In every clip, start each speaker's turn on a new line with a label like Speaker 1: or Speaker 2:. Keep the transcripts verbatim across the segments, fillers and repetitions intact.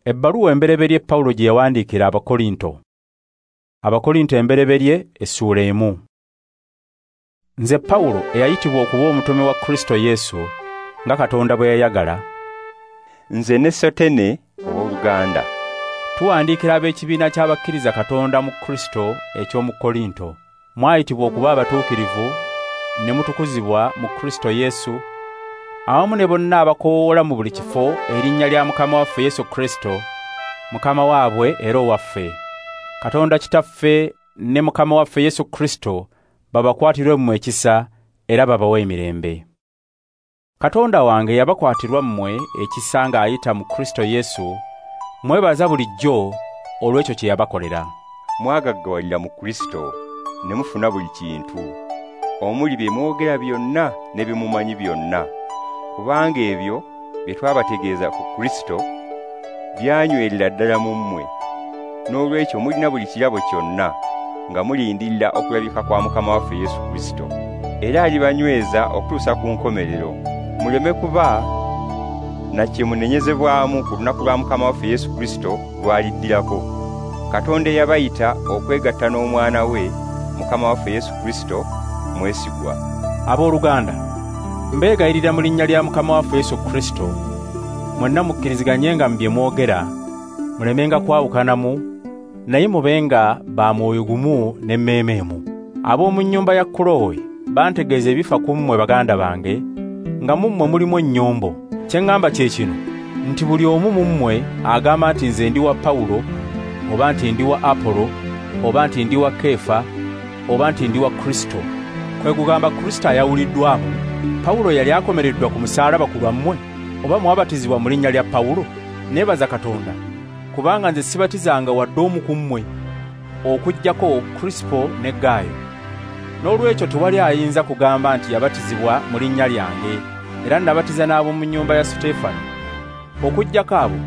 Speaker 1: Ebbaluwa embereberye Pawulo gye yawandiikira Abakorinto. Abakorinto embereberye essuula emu. Nze Pawulo eyayitibwa okuba omutume wa Kristo Yesu nga Katonda bwe yayagala.
Speaker 2: Nze ne Sotene ow'oluganda.
Speaker 1: Tuwandiikira ab'ekibiina ky'abakkiriza Katonda mu Kristo eky'omu Korinto. Mwayitibwa okuba abatuukirivu ne mutukuzibwa mu Kristo Yesu, awamu ne bonna abakoowoola mu buli kifo erinnya lya Mukama waffe Yesu Kristo, Mukama waabwe era owaffe. Katonda Kitaffe ne Mukama waffe Yesu Kristo babakwatirwe mmwe ekisa era babawe emirembe. Katonda wange yabakwatirwa mmwe ekisa ng'ayita mu Kristo Yesu, mwebaza bulijjo olw'ekyo kye yabakolera.
Speaker 2: Mwagaggawalira mu Kristo ne mufuna buli kintu, omuli bye mwogera byonna ne bye mumanyi byonna, kubanga ebyo bye twabategeeza ku Kristo byanywerera ddala mu mmwe. N'olwekyo mulina buli kirabo kyonna nga mulindirira okulabika kwa Mukama waffe Yesu Kristo, era alibanyweza okutuusa ku nkomerero, muleme kuba na kye munenyezebwamu ku lunaku lwa Mukama waffe Yesu Kristo lw'aliddirako. Katonda eyabayita okwegatta n'Omwana we Mukama waffe Yesu Kristo mwesigwa.
Speaker 1: Abooluganda, mbeegayirira mu linnya lya Mukama waffe Yesu Kristo, mwenna mukkiriziganyenga mu bye mwogera, mulemenga kwawukanamu, naye mubenga ba mwoyo gumu n'emmeeme emu. Ab'omu nnyumba ya Kulowe bantegeeza ebifa ku mmwe baganda bange, nga mu mmwe mulimu ennyombo. Kye ŋŋamba kye kino, nti buli omu mu mmwe agamba nti nze ndi wa Pawulo, oba nti ndi wa Apolo, oba nti ndi wa Keefa, oba nti ndi wa Kristo. Kwe kugamba Kristo ayawuliddwamu. Pawulo yali akomereddwa ku musaalaba ku lwammwe, oba mwabatizibwa mu linnya lya Pawulo? Neebaza Katonda, kubanga nze sibatizanga wadde omu ku mmwe, okuggyako Krisipo ne Gaayo. N'olwekyo tewali ayinza kugamba nti yabatizibwa mu linnya lyange, era nabatiza n'ab'omu nnyumba ya Suteefano. Okuggyako abo,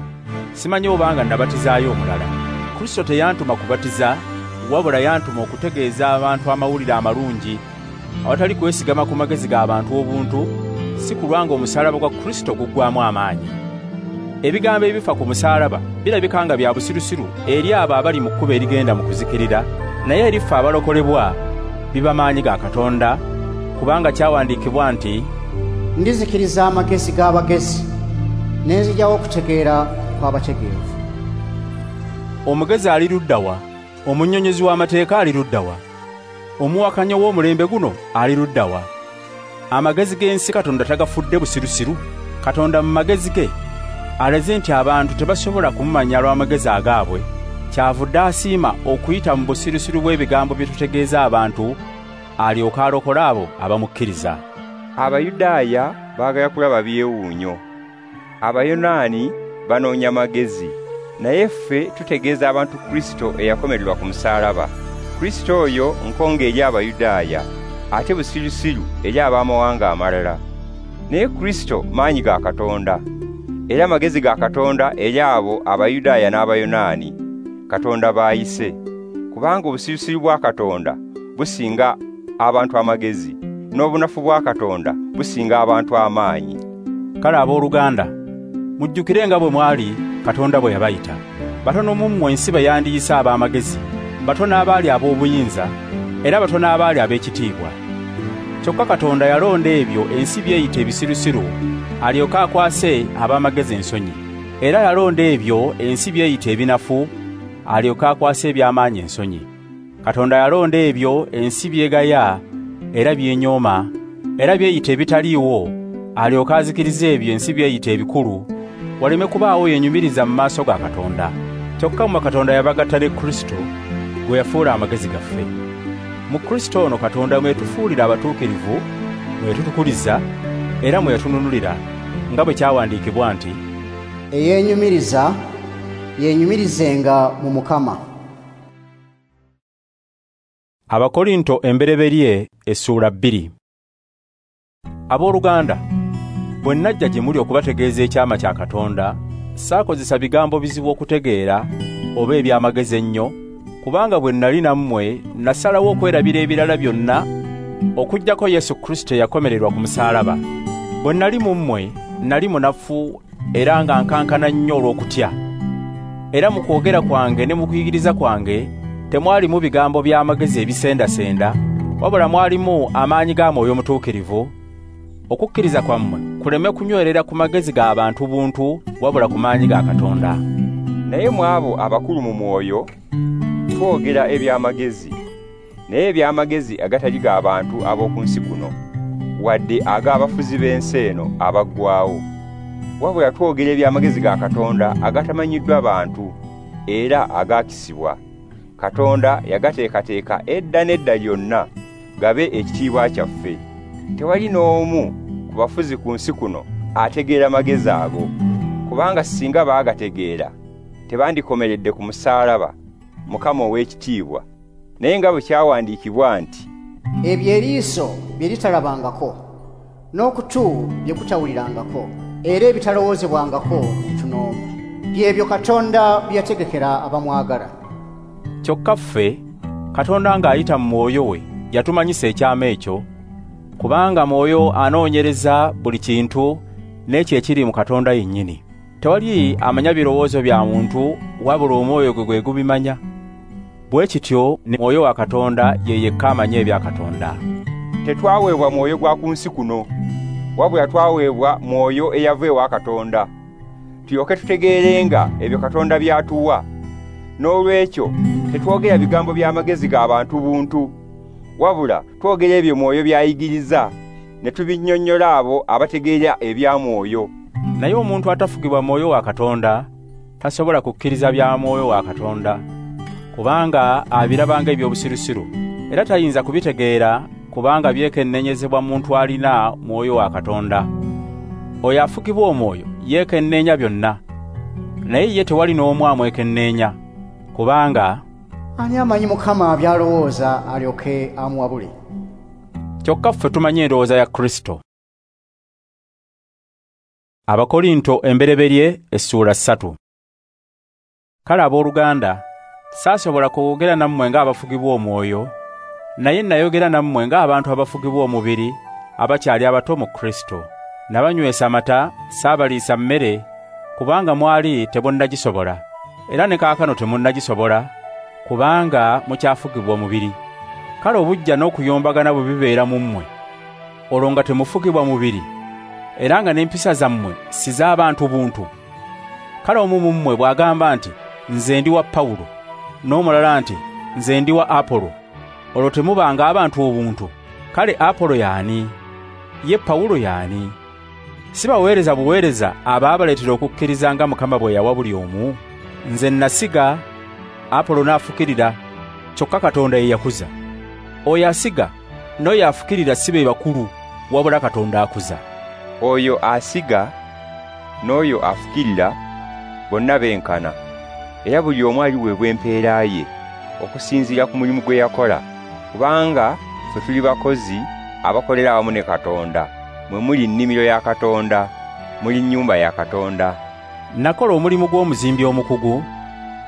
Speaker 1: simanyi obanga nabatizaayo omulala. Kristo teyantuma kubatiza, wabula yantuma okutegeeza abantu amawulire amalungi, awatali kwesigama ku magezi g'abantu obuntu, si kulwanga omusaalaba gwa Kristo guggwamu amaanyi. Ebigambo ebifa ku musaalaba birabika nga bya busirusiru eri abo abali mu kkubo erigenda mu kuzikirira, naye eri ffe abalokolebwa biba maanyi ga Katonda, kubanga kyawandiikibwa nti,
Speaker 3: ndizikiriza amagezi g'abagezi, ne nzigyawo okutegeera kw'abategeevu.
Speaker 1: Omugezi ali ludda wa? Omunnyonnyozi w'amateeka ali ludda wa? Omuwakanya w'omulembe guno ali ludda wa? Amagezi g'ensi Katonda tagafudde busirusiru? Katonda mu magezi ge alaze nti abantu tebasobola kumumanya lw'amagezi agaabwe. Kyavudde asiima okuyita mu busirusiru bw'ebigambo bye tutegeeza abantu, alyoke alokole abo abamukkiriza.
Speaker 2: Abayudaaya baagala kulaba byewuunyo, Abayonaani banoonya magezi, naye ffe tutegeeza abantu Kristo eyakomererwa ku musaalaba. Kristo oyo nkonge eri Abayudaaya, ate busirusiru eri ab'amawanga amalala. Naye Kristo maanyi ga Katonda, era magezi ga Katonda eri abo Abayudaaya n'Abayonaani Katonda baayise. Kubanga obusirusiru bwa Katonda businga abantu amagezi, n'obunafu bwa Katonda businga abantu amaanyi.
Speaker 1: Kale abooluganda, mujjukire nga bwe mwali Katonda bwe yabayita. Batono mu mmwe ensi be yandiyise ab'amagezi, batono abaali ab'obuyinza, era batono abaali ab'ekitiibwa. Kyokka Katonda yalonda ebyo ensi byeyita ebisirusiru, alyoke akwase ab'amagezi ensonyi. Era yalonda ebyo ensi byeyita ebinafu, alyoke akwase eby'amaanyi ensonyi. Katonda yalonda ebyo ensi byegaya era byenyooma, era byeyita ebitaliiwo, alyoke azikirize ebyo ensi byeyita ebikulu, waleme kubaawo yenyumiriza mu maaso ga Katonda. Kyokka mmwe Katonda yabagatta ne Kristo, gwe yafuula amagezi gaffe. Mu Kristo ono Katonda mwe yatufuulira abatuukirivu, mwe yatutukuliza, era mwe yatununulira, nga bwe kyawandiikibwa nti,
Speaker 3: eyeenyumiriza yeenyumirizenga mu Mukama.
Speaker 1: Abakorinto embereberye essuula bbiri. Abooluganda, bwe najja gye muli okubategeeza ekyama kya Katonda, saakozesa bigambo bizibu okutegeera oba eby'amagezi ennyo, kubanga bwe nali nammwe nasalawo okwerabira ebirala byonna okuggyako Yesu Kristo eyakomererwa ku musaalaba. Bwe nali mu mmwe nali munafu era nga nkankana nnyo olw'okutya. Era mu kwogera kwange ne mu kuyigiriza kwange temwalimu bigambo by'amagezi ebisendasenda, wabula mwalimu amaanyi ga Mwoyo Mutuukirivu, okukkiriza kwammwe kuleme kunywerera ku magezi g'abantu buntu, wabula ku maanyi ga Katonda.
Speaker 2: Naye mu abo abakulu mu mwoyo twogera eby'amagezi, naye eby'amagezi agatali g'abantu ab'oku nsi kuno, wadde ag'abafuzi b'ensi eno abaggwaawo. Wabula twogera eby'amagezi ga Katonda agatamanyiddwa bantu era agaakisibwa. Katonda yagateekateeka edda n'edda lyonna gabe ekitiibwa kyaffe. Tewali n'omu ku bafuzi ku nsi kuno ategeera magezi ago, kubanga singa baagategeera tebandikomeredde ku musaalaba Mukama ow'ekitiibwa. Naye nga bwe kyawandiikibwa nti,
Speaker 3: ebyo eriiso bye litalabangako, n'okutu bye kutawulirangako, era ebitalowoozebwangako muntu n'omu, byebyo Katonda bye yategekera abamwagala.
Speaker 1: Kyokka ffe Katonda ng'ayita mu Mwoyo we yatumanyisa ekyama ekyo, kubanga Mwoyo anoonyereza buli kintu n'ekyo ekiri mu Katonda yennyini. Tewali amanya birowoozo bya muntu, wabula omwoyo gwe gwe gubimanya. Bwe kityo ne Mwoyo wa Katonda ye yekka amanya ebya Katonda.
Speaker 2: Tetwaweebwa mwoyo gwa ku nsi kuno, wabula twaweebwa Mwoyo eyava ewa Katonda, tulyoke tutegeerenga ebyo Katonda by'atuwa. N'olwekyo tetwogera bigambo by'amagezi g'abantu buntu, wabula twogera ebyo Mwoyo by'ayigiriza, ne tubinnyonnyola abo abategeera ebya Mwoyo.
Speaker 1: Naye omuntu atafugibwa Mwoyo wa Katonda tasobola kukkiriza bya Mwoyo wa Katonda, kubanga abirabanga eby'obusirusiru, era tayinza kubitegeera, kubanga byekenneenyezebwa muntu alina Mwoyo wa Katonda. Oyo afugibwa Omwoyo yeekenneenya byonna, naye ye tewali n'omu amwekenneenya, kubanga
Speaker 3: ani amanyi Mukama by'alowooza alyoke amuwabule?
Speaker 1: Kyokka ffe tumanyi endowooza ya Kristo. Abakorinto embereberye essuula ssatu. Kale abooluganda, saasobola kwogera nammwe ng'abafugibwa Omwoyo, naye nayogera nammwe ng'abantu abafugibwa omubiri, abakyali abato mu Kristo. Nabanywesa amata, saabaliisa mmere, kubanga mwali temunnagisobola, era ne kaakano temunnagisobola, kubanga mukyafugibwa omubiri. Kale obuggya n'okuyombagana bwe bibeera mu mmwe, olwo nga temufugibwa mubiri, era nga n'empisa zammwe si z'abantu buntu. Kale omu mu mmwe bw'agamba nti, nze ndi wa Pawulo, n'omulala nti, nze ndi wa Apolo, olwo temubanga abantu obuntu. Kale Apolo y'ani? Ye Pawulo y'ani? Si baweereza buweereza abaabaleetera okukkiriza nga Mukama bwe yawa buli omu? Nze nasiga, Apolo n'afukirira, kyokka Katonda ye yakuza. Oyo asiga n'oyo afukirira si be bakulu, wabula Katonda akuza.
Speaker 2: Oyo asiga n'oyo afukirira bonna benkana, era buli omu aliweebwa empeera ye okusinziira ku mulimu gwe yakola, kubanga ffe tuli bakozi abakolera awamu ne Katonda. Mwe muli nnimiro ya Katonda, muli nnyumba ya Katonda.
Speaker 1: Nakola omulimu gw'omuzimbi omukugu,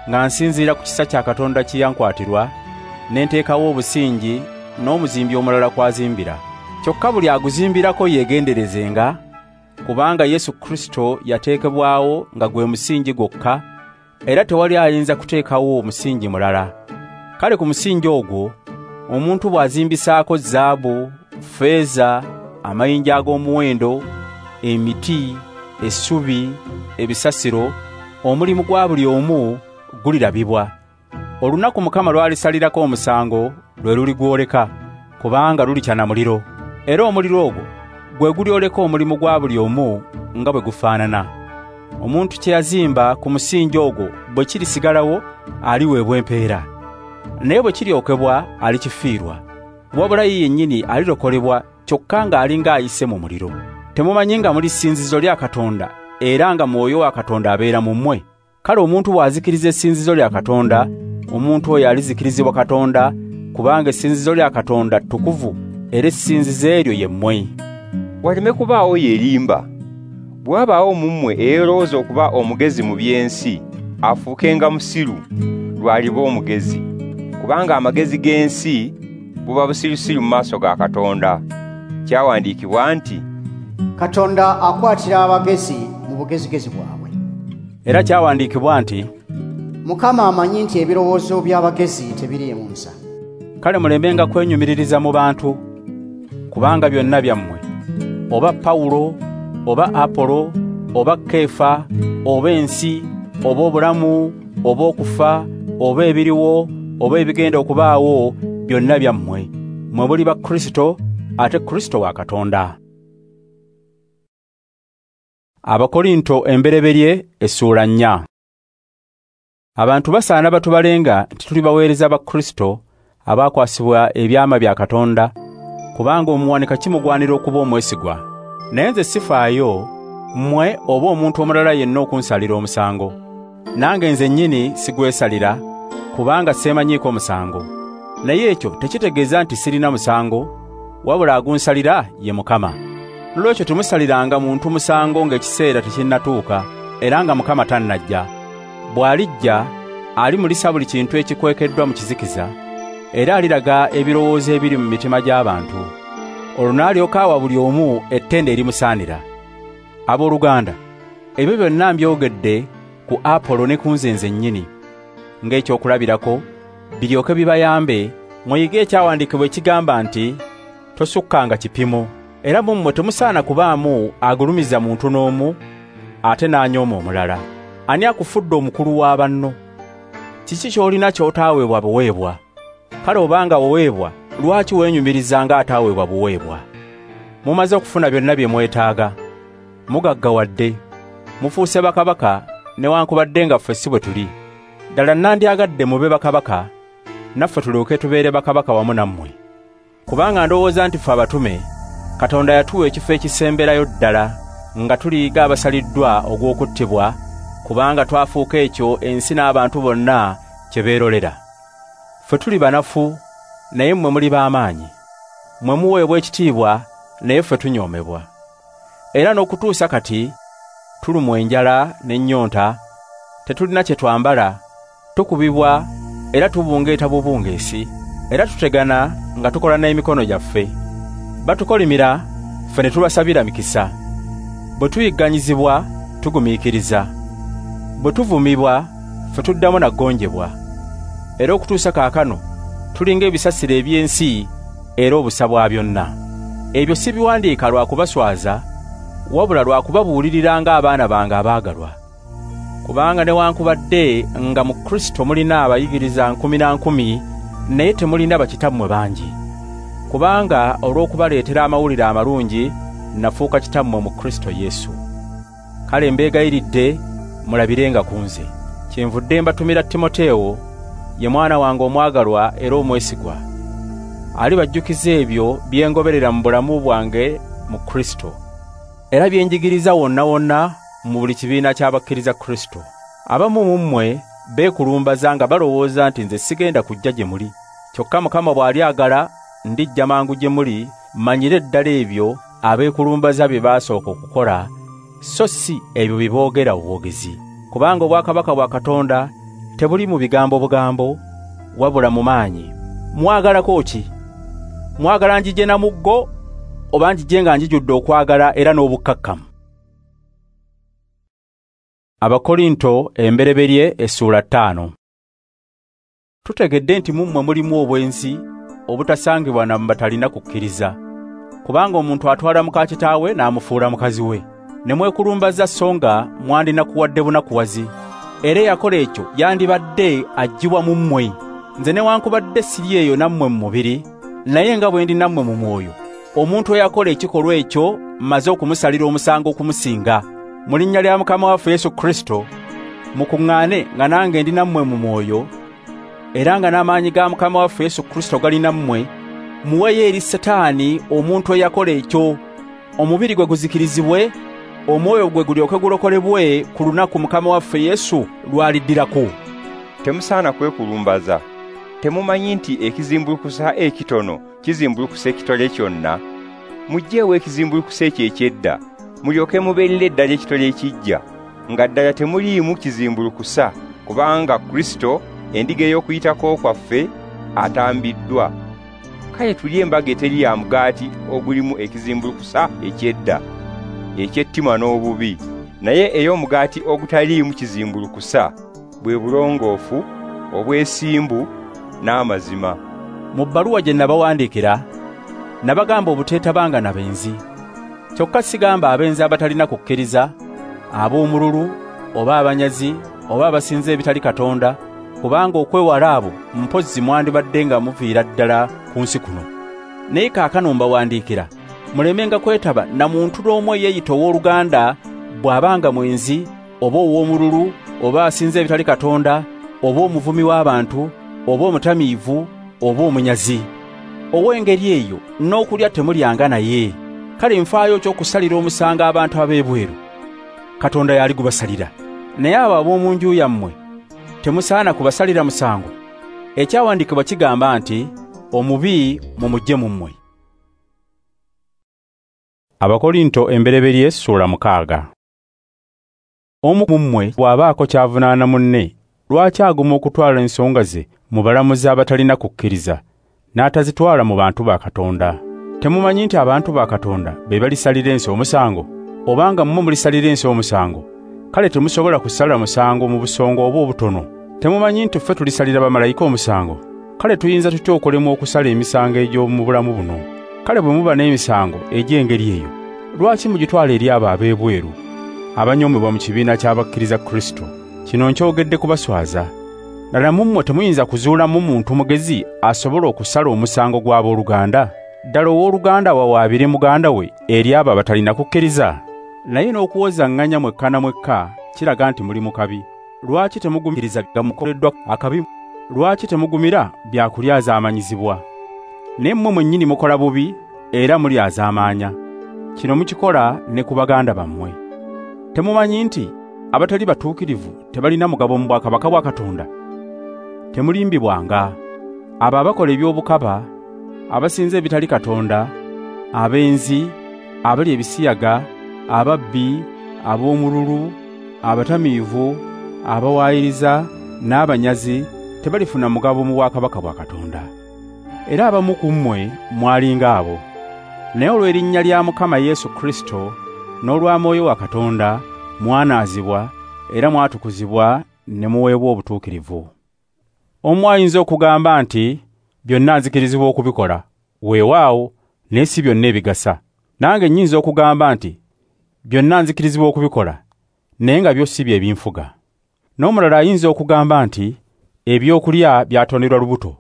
Speaker 1: nga nsinziira ku kisa kya Katonda kye yankwatirwa, ne nteekawo obusingi n'omuzimbi omulala kw'azimbira. Kyokka buli aguzimbirako yeegenderezenga, kubanga Yesu Kristo yateekebwawo nga gwe musingi gwokka, era tewali ayinza kuteekawo omusingi mulala. Kale ku musingi ogwo omuntu bw'azimbisaako zaabu, ffeeza, amayinja ag'omuwendo, emiti, essubi, ebisasiro, omulimu gwa buli omu gulirabibwa. Olunaku Mukama lw'alisalirako omusango lwe luligwoleka, kubanga lulikyana muliro, era omuliro ogwo gwe gulyoleka omulimu gwa buli omu nga bwe gufaanana. Omuntu kye yazimba ku musingi ogwo bwe kirisigalawo aliweebwa empeera, naye bwe kiryokebwa alikifiirwa. Wabula ye yennyini alirokolebwa, kyokka ng'alinga ayise mu muliro. Temumanyi nga muli ssinzizo lya Katonda, era nga Mwoyo wa Katonda abeera mu mmwe? Kale omuntu bw'azikiriza essinzizo lya Katonda, omuntu oyo alizikirizibwa Katonda, kubanga essinzizo lya Katonda ttukuvu, era essinzizo eryo ye mmwe.
Speaker 2: Waleme kubaawo yeerimba. Bwe wabaawo mu mmwe eyeerowooza okuba omugezi mu by'ensi, afuukenga musiru lw'aliba omugezi, kubanga amagezi g'ensi buba busirusiru mu maaso ga Katonda. Kyawandiikibwa nti,
Speaker 3: Katonda akwatira abagezi mu bugezigezi bwabwe.
Speaker 1: Era kyawandiikibwa nti,
Speaker 3: Mukama amanyi nti ebirowoozo by'abagezi tebiriimu nsa.
Speaker 1: Kale mulemenga kwenyumiririza mu bantu, kubanga byonna byammwe, oba Pawulo, oba Apolo, oba Kefa, oba ensi, oba obulamu, oba okufa, oba ebiriwo, oba ebigenda okubaawo, byonna byammwe. Mmwe muli ba Kristo, ate Kristo wa Katonda. Abakorinto embereberye essuula nnya. Abantu basaana batubalenga nti tuli baweereza ba Kristo abakwasibwa ebyama bya Katonda, kubanga omuwanika kimugwanira okuba omwesigwa. Naye nze sifaayo mmwe oba omuntu omulala yenna okunsalira omusango. Nange nze nnyini sigwesalira, kubanga seemanyiiko musango. Naye ekyo tekitegeeza nti sirina musango, wabula agunsalira ye Mukama. Noolwekyo temusaliranga muntu musango ng'ekiseera tekinnatuuka, era nga Mukama tannajja. Bw'alijja alimulisa buli kintu ekikwekeddwa mu kizikiza, era aliraga ebirowoozo ebiri mu mitima gy'abantu. Olwo n'alyoka awa buli omu ettendo erimusaanira. Abooluganda, ebyo byonna mbyogedde ku Apolo ne ku nze nzennyini ng'ekyokulabirako, biryoke bibayambe muyige ekyawandiikibwa ekigamba nti tosukkanga kipimo. Era mu mmwe temusaana kubaamu agulumiza muntu n'omu ate n'anyooma omulala. Ani akufudde omukulu wa banno? Kiki ky'olina ky'otaaweebwa buweebwa? Kale obanga waweebwa, lwaki weenyumiriza ng'ataaweebwa buweebwa? Mumaze okufuna byonna bye mwetaaga, mugaggawadde, mufuuse bakabaka newankubadde nga ffe si bwe tuli. Ddala nandyagadde mube bakabaka, naffe tulyoke tubeere bakabaka wamu nammwe. Kubanga ndowooza nti ffe abatume, Katonda yatuwa ekifo ekisemberayo ddala nga tuliiga abasaliddwa ogw'okuttibwa, kubanga twafuuka ekyo ensi n'abantu bonna kye beerolera. Ffe tuli banafu, naye mmwe muli b'amaanyi. Mmwe muweebwa ekitiibwa, naye ffe tunyoomebwa. Era n'okutuusa kati tulumwa enjala n'ennyonta, tetulina kye twambala, tukubibwa era tubungeeta bubungeesi, era tutegana nga tukola n'emikono gyaffe. Batukolimira, ffe ne tubasabira mikisa. Bwe tuyigganyizibwa, tugumiikiriza. Bwe tuvumibwa, ffe tuddamu na ggonjebwa. Era okutuusa kaakano tulinga ebisasiro eby'ensi era obusa bwa byonna. Ebyo si biwandiika lwa kubaswaza, wabula lwa kubabuulirira ng'abaana bange abaagalwa. Kubanga newankubadde nga mu Kristo mulina abayigiriza nkumi na nkumi, naye temulina bakitammwe bangi. Kubanga olw'okubaleetera amawulire amalungi nafuuka kitammwe mu Kristo Yesu. Kale mbeegayiridde mulabirenga ku nze. Kyenvudde mbatumira Timoteewo, ye mwana wange omwagalwa era omwesigwa. Alibajjukiza ebyo bye ngoberera mu bulamu bwange mu Kristo, era bye njigiriza wonna wonna mu buli kibiina ky'abakkiriza Kristo. Abamu mu mmwe beekulumbaza nga balowooza nti nze sigenda kujja gye muli. Kyokka Mukama bw'alyagala ndijja mangu gye muli, mmanyire ddala ebyo abeekulumbaza bye baasooka okukola, so si ebyo bye boogera obwogezi. Kubanga obwakabaka bwa Katonda tebuli mu bigambo bugambo, wabula mu maanyi. Mwagalako ki? Mwagala njije na muggo, oba njije nga njijudde okwagala era n'obukkakkamu? Abakorinto embereberye essuula ttaano. Tutegedde nti mu mmwe mulimu obwenzi obutasangibwa na batalina kukkiriza. Kubanga omuntu atwala muka kitaawe n'amufuula mukazi we. Ne mwekulumbaza so nga mwandinakuwadde bunakuwazi. Era eyakola ekyo yandibadde aggyibwa mu mmwe. Nze newankubadde siri eyo nammwe mu mubiri, naye nga bwe ndi nammwe mu mwoyo, omuntu eyakola ekikolwa ekyo mmaze okumusalira omusango okumusinga. Mu linnya lya Mukama waffe Yesu Kristo, mukuŋŋaane nga nange ndi nammwe mu mwoyo, era nga n'amaanyi ga Mukama waffe Yesu Kristo gali nammwe, muweeyo eri Setaani omuntu eyakola ekyo, omubiri gwe guzikirizibwe, omwoyo gwe gulyoke gulokolebwe ku lunaku Mukama waffe Yesu lw'aliddirako.
Speaker 2: Temusaana kwekulumbaza. Temumanyi nti ekizimbulukusa ekitono kizimbulukusa ekitole kyonna? Muggyeewo ekizimbulukusa ekyo eky'edda, mulyoke mubeerere eddala ekitole ekiggya, nga ddala temuliimu kizimbulukusa, kubanga Kristo endiga ey'okuyitako kwaffe atambiddwa. Kale tulye embaga eteri ya mugaati ogulimu ekizimbulukusa eky'edda, eky'ettima n'obubi, naye ey'omugaati ogutaliimu kizimbulukusa, bwe bulongoofu, obwesimbu n'amazima.
Speaker 1: Mu bbaluwa gye nabawandiikira nabagamba obuteetabanga na benzi. Kyokka sigamba abenzi abatalina kukkiriza, ab'omululu oba abanyazi oba abasinza ebitali Katonda, kubanga okwewala abo mpozzi mwandibadde nga muviira ddala ku nsi kuno. Naye kaakano mbawandiikira mulemenga kwetaba na muntu n'omu eyeeyita owooluganda bw'abanga mwenzi oba ow'omululu oba asinza ebitali Katonda oba omuvumi w'abantu oba omutamiivu oba omunyazi. Ow'engeri eyo n'okulya temulyanga naye. Kale nfaayo ky'okusalira omusango abantu ab'ebweru, Katonda yali gubasalira. Naye abo ab'omu nju yammwe temusaana kubasalira musango. Ekyawandiikibwa kigamba nti omubi mumuggye mu mmwe. Abakorinto embereberye ssuula mukaaga. Omu mu mmwe bw'abaako ky'avunaana munne, lwaki aguma okutwala ensonga ze mu balamuzi abatalina kukkiriza n'atazitwala mu bantu ba Katonda? Temumanyi nti abantu ba Katonda be balisalira ensi omusango? Obanga mmwe mulisalira ensi omusango, kale temusobola kusala musango mu busongo oba obutono. Temumanyi nti ffe tulisalira bamalayika omusango? Kale tuyinza tutya okulemwa okusala emisango egy'omu bulamu buno? Kale bwe muba n'emisango egy'engeri eyo, lwaki mugitwala eri abo ab'ebweru abanyoomebwa mu kibiina ky'abakkiriza Kristo? Kino nkyogedde kubaswaza. Ddala mu mmwe temuyinza kuzuulamu muntu mugezi asobola okusala omusango gw'abooluganda? Ddala owooluganda wawaabire muganda we eri abo abatalina kukkiriza? Naye n'okuwozaŋŋanya mwekka na mwekka kiraga nti muli mu kabi. Lwaki temugumiriza gamukoleddwa akabi? Lwaki temugumira byakulyazaamanyizibwa? Naye mmwe mwennyini mukola bubi era mulyazaamaanya. Kino mukikola ne ku baganda bammwe. Temumanyi nti abatali batuukirivu tebalina mugabo mu bwakabaka bwa Katonda? Temulimbibwanga. Abo abakola eby'obukaba, abasinza ebitali Katonda, abenzi, abalya ebisiyaga, ababbi, ab'omululu, abatamiivu, abawaayiriza n'abanyazi tebalifuna mugabo mu bwakabaka bwa Katonda. Era abamu ku mmwe mwalinga abo. Naye olw'erinnya lya Mukama Yesu Kristo n'olwa Mwoyo wa Katonda mwanaazibwa era mwatukuzibwa ne muweebwa obutuukirivu. Omu ayinza okugamba nti byonna nzikirizibwa okubikola, weewaawo, naye si byonna ebigasa. Nange nnyinza okugamba nti byonna nzikirizibwa okubikola, naye nga byo si bye binfuga. N'omulala ayinza okugamba nti ebyokulya byatonderwa lubuto,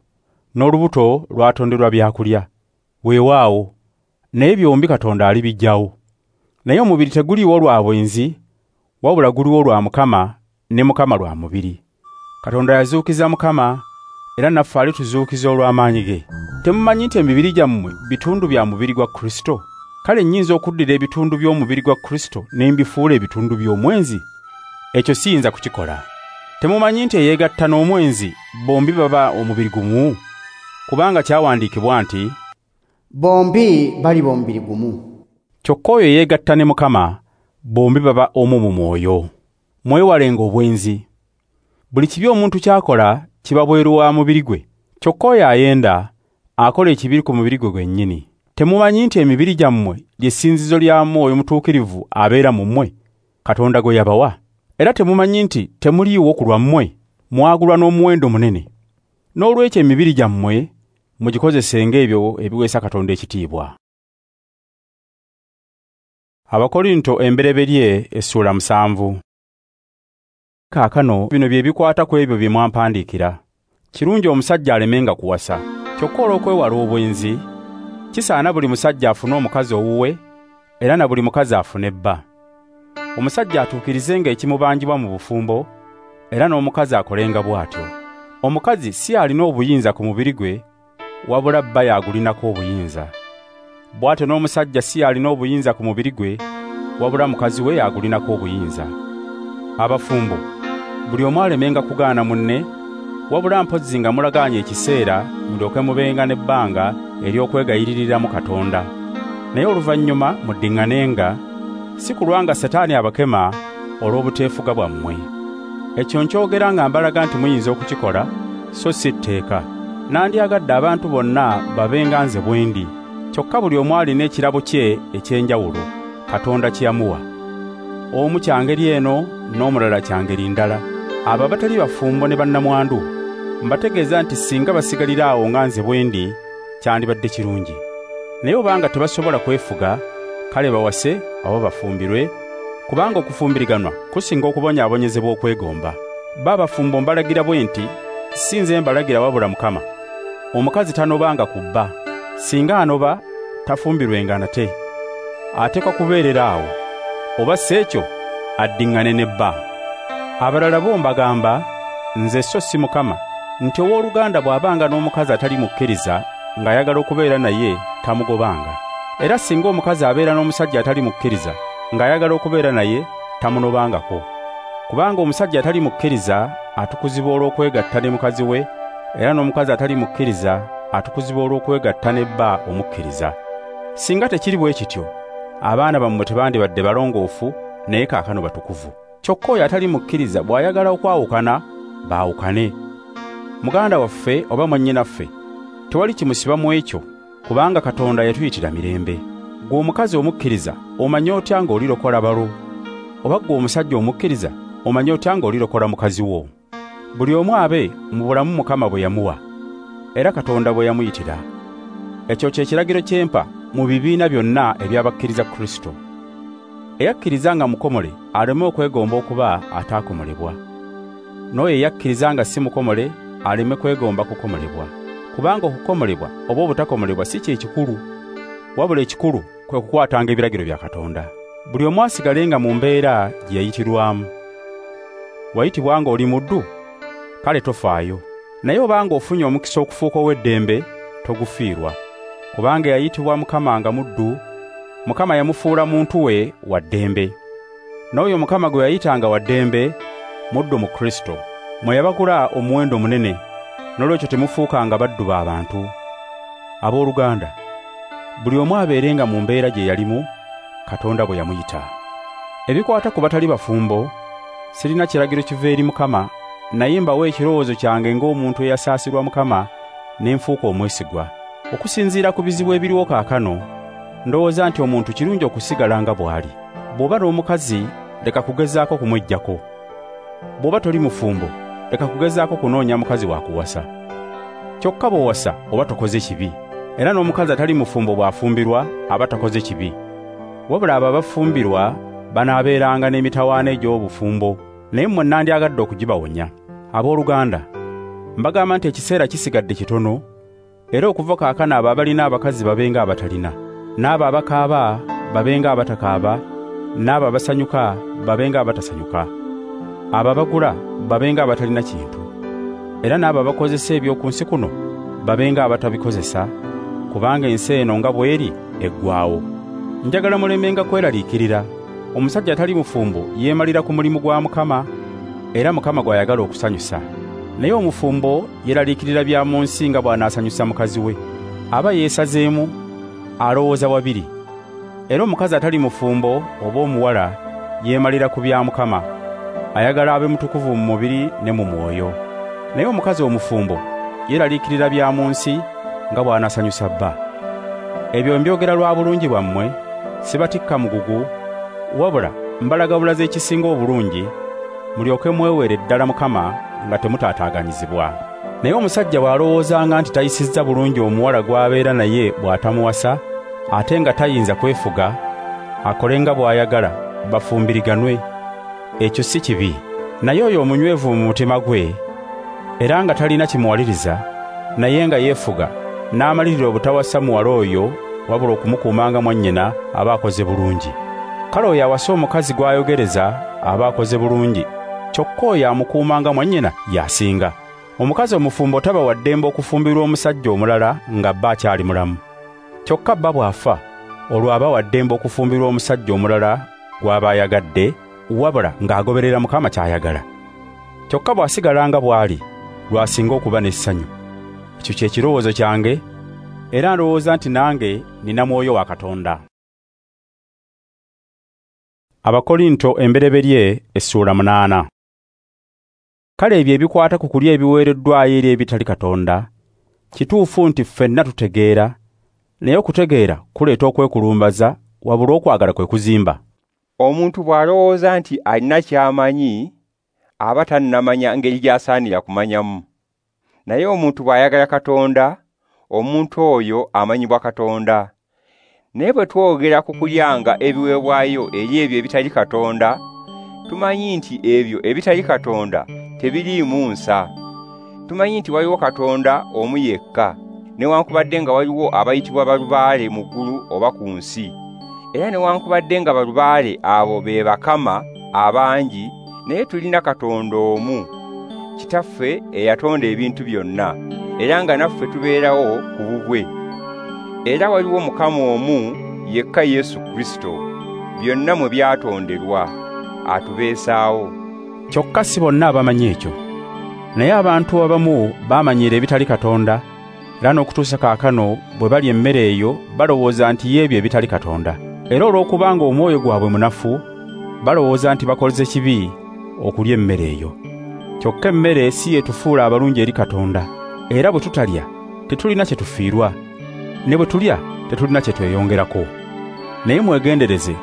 Speaker 1: n'olubuto lwatonderwa byakulya. Weewaawo, naye byombi Katonda alibiggyawo. Naye omubiri teguliwo lwa bwenzi, wabula guliwo lwa Mukama, ne Mukama lwa mubiri. Katonda yazuukiza Mukama, era naffe alituzuukiza olw'amaanyi ge. Temumanyi nti emibiri gyammwe bitundu bya mubiri gwa Kristo? Kale nnyinza okuddira ebitundu by'omubiri gwa Kristo ne mbifuula ebitundu by'omwenzi? Ekyo siyinza kukikola. Temumanyi nti eyeegatta n'omwenzi bombi baba omubiri gumu? Kubanga kyawandiikibwa nti
Speaker 3: bombi baliba omubiri gumu.
Speaker 1: Kyokka oyo eyeegatta ne Mukama bombi baba omu mu mwoyo. Mwewalenga obwenzi. Buli kibi omuntu ky'akola kiba bweru wa mubiri gwe. Kyokka oyo ayenda akola ekibi ku mubiri gwe gwennyini. Temumanyi nti emibiri gyammwe ly'essinzizo lya Mwoyo Mutuukirivu abeera mu mmwe, Katonda gwe yabawa? Era temumanyi nti temuliiwo ku lwammwe, mwagulwa n'omuwendo munene? Noolwekyo emibiri gyammwe mugikozesenga ebyo ebiweesa Katonda ekitiibwa. Abakorinto embereberye essuula musanvu. Kaakano bino bye bikwata ku ebyo bye mwampandiikira. Kirungi omusajja alemenga kuwasa. Kyokka olw'okwewala obwenzi, kisaana buli musajja afune omukazi owuwe, era na buli mukazi afune bba. Omusajja atuukirizenga ekimubanjibwa mu bufumbo, era n'omukazi akolenga bw'atyo. Omukazi si alina obuyinza ku mubiri gwe, wabula bba y'agulinako obuyinza. Bw'atyo n'omusajja si alina obuyinza ku mubiri gwe, wabula mukazi we y'agulinako obuyinza. Abafumbo, buli omu alemenga kugaana munne, wabula mpozzi nga mulagaanye ekiseera mulyoke mubenga n'ebbanga ery'okwegayiririramu Katonda. Naye oluvannyuma muddiŋŋanenga, si kulwa nga Setaani abakema olw'obuteefuga bwammwe. Ekyo nkyogera nga mbalaga nti muyinza okukikola, so si tteeka. Nandyagadde abantu bonna babenga nze bwe ndi. Kyokka buli omu alina ekirabo kye eky'enjawulo Katonda kye yamuwa. Omu kya ngeri eno n'omulala kya ngeri ndala. Abo abatali bafumbo ne bannamwandu mbategeeza nti singa basigalira awo nga nze bwe ndi, kyandibadde kirungi. Naye obanga tebasobola kwefuga, kale bawase oba bafumbirwe, kubanga okufumbiriganwa kusinga okubonyaabonyezebwa okwegomba. Babafumbo mbalagira bwe nti, si nze mbalagira wabula Mukama. Omukazi tanobanga ku bba. Singa anoba, tafumbirwenga nate. Ateekwa kubeerera awo, oba si ekyo addiŋŋane ne bba. Abalala bo mbagamba, nze so si Mukama, nti owooluganda bw'abanga n'omukazi atali mukkiriza ng'ayagala okubeera naye, tamugobanga. Era singa omukazi abeera n'omusajja atali mukkiriza ng'ayagala okubeera naye, tamunobangako. Kubanga omusajja atali mukkiriza atukuzibwa olw'okwegatta ne mukazi we, era n'omukazi atali mukkiriza atukuzibwa olw'okwegatta ne bba omukkiriza. Singa tekiri bwe kityo, abaana bammwe tebandibadde balongoofu, naye kaakano batukuvu. Kyokka oyo atali mukkiriza bw'ayagala okwawukana, baawukane. Muganda waffe oba mwannyinaffe, tewali kimusiba mu ekyo, kubanga Katonda yatuyitira mirembe. Ggwe omukazi omukkiriza, omanyi otya ng'olirokola balo? Oba ggwe omusajja omukkiriza, omanyi otya ng'olirokola mukazi wo? Buli omu abe mu bulamu Mukama bwe yamuwa, era Katonda bwe yamuyitira. Ekyo kye kiragiro kye mpa mu bibiina byonna eby'abakkiriza Kristo. Eyakkiriza nga mukomole aleme okwegomba okuba ataakomolebwa. N'oyo eyakkiriza nga si mukomole aleme kwegomba kukomolebwa. Kubanga okukomolebwa oba obutakomolebwa si kye kikulu, wabula ekikulu kwe kukwatanga ebiragiro bya Katonda. Buli omu asigalenga mu mbeera gye yayitirwamu. Wayitibwa ng'oli muddu? Kale tofaayo. Naye obanga ofunye omukisa okufuuka ow'eddembe, togufiirwa. Kubanga yayitibwa Mukama nga muddu, Mukama yamufuula muntu we wa ddembe. N'oyo Mukama gwe yayitanga wa ddembe, muddu mu Kristo. Mwe yabagula omuwendo munene, n'olwekyo temufuukanga baddu b'abantu. Abooluganda, buli omu abeerenga mu mbeera gye yalimu, Katonda bwe yamuyita. Ebikwata ku batali bafumbo, sirina kiragiro kiva eri Mukama, naye mbawa ekirowoozo kyange ng'omuntu eyasaasirwa Mukama ne nfuuka omwesigwa. Okusinziira ku bizibu ebiriwo kaakano, ndowooza nti omuntu kirungi okusigala nga bw'ali. Bw'oba n'omukazi, leka kugezaako kumweggyako. Bw'oba toli mufumbo, leka kugezaako kunoonya mukazi wa kuwasa. Kyokka bw'owasa oba tokoze kibi, era n'omukazi atali mufumbo bw'afumbirwa aba takoze kibi. Wabula abo abafumbirwa banaabeeranga n'emitawaana egy'obufumbo, naye mmwe nandyagadde okugibawonya. Abooluganda, mbagamba nti ekiseera kisigadde kitono, era okuva kaakano abo abalina abakazi babenga abatalina, n'abo abakaaba babenga abatakaaba, n'abo abasanyuka babenga abatasanyuka, abo abagula babenga abatalina kintu, era n'abo abakozesa eby'oku nsi kuno babenga abatabikozesa, kubanga ensi eno nga bw'eri eggwaawo. Njagala mulemenga kweraliikirira. Omusajja atali mufumbo yeemalira ku mulimu gwa Mukama, era Mukama gw'ayagala okusanyusa. Naye omufumbo yeeraliikirira bya mu nsi nga bw'anaasanyusa mukazi we. Aba yeesazeemu, alowooza wabiri. Era omukazi atali mufumbo oba omuwala yeemalira ku bya Mukama, ayagala abe mutukuvu mu mubiri ne mu mwoyo. Naye omukazi omufumbo yeeraliikirira bya mu nsi nga bw'anaasanyusa bba. Ebyo mbyogera lwa bulungi bwammwe, sibatikka mugugu, wabula mbalaga bulaza ekisinga obulungi, mulyoke mweweere ddala Mukama nga temutaataaganyizibwa. Naye omusajja bw'alowoozanga nti tayisizza bulungi omuwala gw'abeera naye bw'atamuwasa, ate nga tayinza kwefuga, akole nga bw'ayagala, bafumbiriganwe. Ekyo si kibi. Naye oyo omunywevu mu mutima gwe, era nga talina kimuwaliriza, naye nga yeefuga, n'amalirira obutawasa muwala oyo, wabula okumukuumanga mwannyina, aba akoze bulungi. Kale oyo awasa omukazi gw'ayogereza aba akoze bulungi, kyokka oyo amukuumanga mwannyina y'asinga. Omukazi omufumbo taba wa ddembe okufumbirwa omusajja omulala nga bba akyali mulamu. Kyokka bba bw'afa, olwo aba wa ddembe okufumbirwa omusajja omulala gw'aba ayagadde, wabula ng'agoberera Mukama ky'ayagala. Kyokka bw'asigala nga bw'ali, lw'asinga okuba n'essanyu. Ekyo kye kirowoozo kyange, era ndowooza nti nange nina mwoyo wa Katonda. Abakorinto embereberye essuula munaana. Kale ebyo ebikwata ku kulya ebiweereddwayo eri ebitali Katonda, kituufu nti ffenna tutegeera, naye okutegeera kuleeta okwekulumbaza, wabula okwagala kwe kuzimba.
Speaker 2: Omuntu bw'alowooza nti alina ky'amanyi, aba tannamanya ngeri gy'asaanira kumanyamu. Naye omuntu bw'ayagala Katonda, omuntu oyo amanyibwa Katonda. Naye bwe twogera ku kulyanga ebiweebwayo eri ebyo ebitali Katonda, tumanyi nti ebyo ebitali Katonda tebiriimu nsa. Tumanyi nti waliwo Katonda omu yekka, newankubadde nga waliwo abayitibwa balubaale mu ggulu oba ku nsi. Era newankubadde nga balubaale abo be bakama abangi, naye tulina Katonda omu, Kitaffe eyatonda ebintu byonna, era nga naffe tubeerawo ku bubwe. Era waliwo Mukama omu yekka Yesu Kristo, byonna mwe byatonderwa, atubeesaawo.
Speaker 1: Kyokka si bonna abamanyi ekyo. Naye abantu abamu bamanyiira ebitali Katonda, era n'okutuusa kaakano bwe balya emmere eyo balowooza nti y'ebyo ebitali Katonda. Era olw'okubanga omwoyo gwabwe munafu, balowooza nti bakoze kibi okulya emmere eyo. Kyokka emmere si yetufuula abalungi eri Katonda, era bwe tutalya tetulina kye tufiirwa, ne bwe tulya tetulina kye tweyongerako. Naye mwegendereze,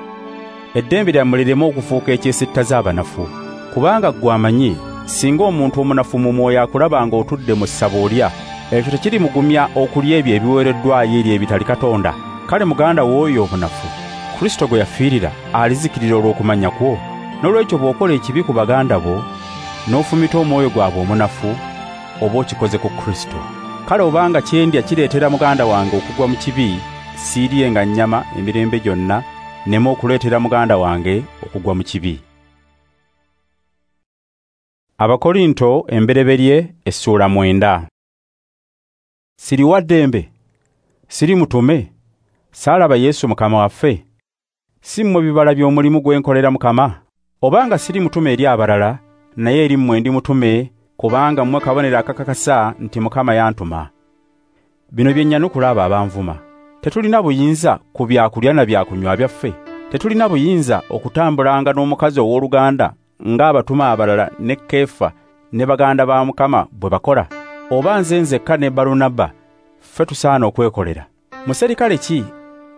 Speaker 1: eddembe lyammwe lireme okufuuka ekyesittaza abanafu, kubanga ggwe amanyi singa omuntu omunafu mu mwoyo akulaba ng'otudde mu ssabo olya, ekyo tekirimugumya okulya ebyo ebiweereddwayo eri ebitali Katonda. Kale muganda w'oyo omunafu Kristo gwe yafiirira alizikirira olw'okumanya kwo. N'olwekyo bw'okola ekibi ku baganda bo n'ofumita omwoyo gwabwe omunafu, oba okikoze ku Kristo. Kale obanga kyendya kireetera muganda wange okugwa mu kibi, siiryenga nnyama emirembe gyonna, nneme okuleetera muganda wange okugwa mu kibi. Abakorinto embereberye essuula mwenda. Siri wa ddembe, siri mutume, saalaba Yesu Mukama waffe? Si mmwe bibala by'omulimu gwe nkolera Mukama? Obanga siri mutume eri abalala, naye eri mmwe ndi mutume, kubanga mmwe kabonero akakakasa nti Mukama yantuma. Bino bye nnyanukula abo abanvuma. Tetulina buyinza ku byakulya na byakunywa byaffe? Tetulina buyinza okutambulanga n'omukazi ow'oluganda ng'abatuma abalala ne Keefa ne baganda ba Mukama bwe bakola? Oba nze nzekka ne Balunabba ffe tusaana okwekolera? Muserikale ki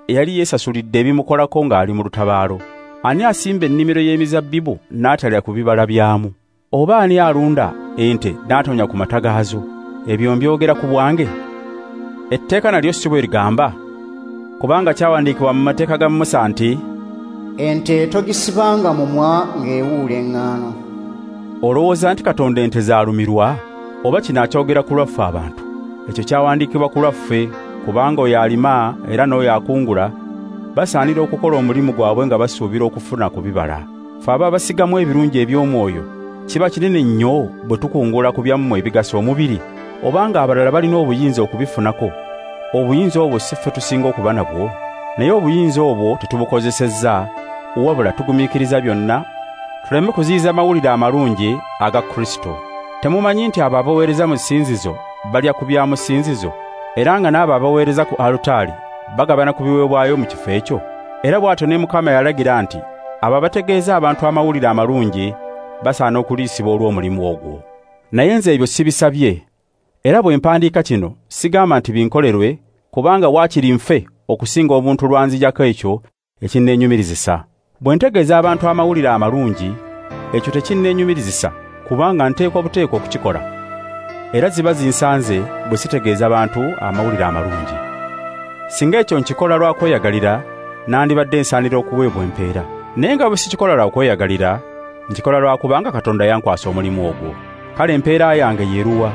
Speaker 1: eyali yeesasulidde ebimukolako ng'ali mu lutabaalo? Ani asimba ennimiro y'emizabbibu n'atalya ku bibala byamu? Oba ani alunda ente n'atonya ku mata gaazo? Ebyo mbyogera ku bwange? Etteeka nalyo si bwe ligamba? Kubanga kyawandiikibwa mu mateeka ga Musa nti,
Speaker 3: ente togisibanga mumwa ng'ewuula eŋŋaano.
Speaker 1: Olowooza nti Katonda ente zaalumirwa? Oba kino akyogera ku lwaffe abantu? Ekyo kyawandiikibwa ku lwaffe, kubanga oyo alima era n'oyo akungula basaanira okukola omulimu gwabwe nga basuubira okufuna ku bibala. Ffe aba basigamu ebirungi eby'omwoyo, kiba kinene nnyo bwe tukungula ku byammwe ebigasa omubiri. Obanga abalala balina obuyinza okubifunako, obuyinza obwo si ffe tusinga okuba nabwo. Naye obuyinza obwo tetubukozesezza, wabula tugumiikiriza byonna, tuleme kuziyiza mawulire amalungi aga Kristo. Temumanyi nti abo abaweereza mu ssinzizo balya ku bya mu ssinzizo, era nga n'abo abaweereza ku alutaari bagabana ku biweebwayo mu kifo ekyo? Era bw'atyo ne Mukama yalagira nti abo abategeeza abantu amawulire amalungi basaana okuliisibwa olw'omulimu ogwo. Naye nze ebyo sibisabye, era bwe mpandiika kino sigamba nti binkolerwe, kubanga waakiri nfe okusinga obuntu lwanzijako ekyo ekinneenyumirizisa. Bwe ntegeeza abantu amawulire amalungi, ekyo tekinneenyumirizisa, kubanga nteekwa buteekwa okukikola. Era ziba zinsanze bwe sitegeeza bantu amawulire amalungi. Singa ekyo nkikola lwa kweyagalira, nandibadde nsaanira okuweebwa empeera. Naye nga bwe sikikola lwa kweyagalira, nkikola lwa kubanga Katonda yankwasa omulimu ogwo. Kale empeera yange yeeruwa?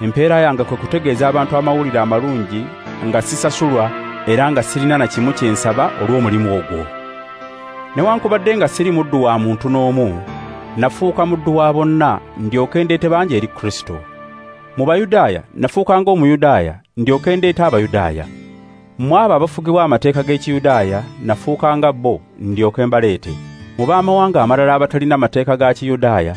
Speaker 1: Empeera yange kwe kutegeeza abantu amawulire amalungi nga sisasulwa, era nga sirina na kimu kye nsaba olw'omulimu ogwo. Newankubadde nga siri muddu wa muntu n'omu, nafuuka muddu wa bonna ndyoke ndeete bangi eri Kristo. Mu Bayudaaya nafuuka ng'Omuyudaaya ndyoke ndeete Abayudaaya. Mu abo abafugibwa amateeka g'Ekiyudaaya nafuuka nga bo ndyoke mbaleete. Mu b'amawanga amalala abatalina mateeka ga Kiyudaaya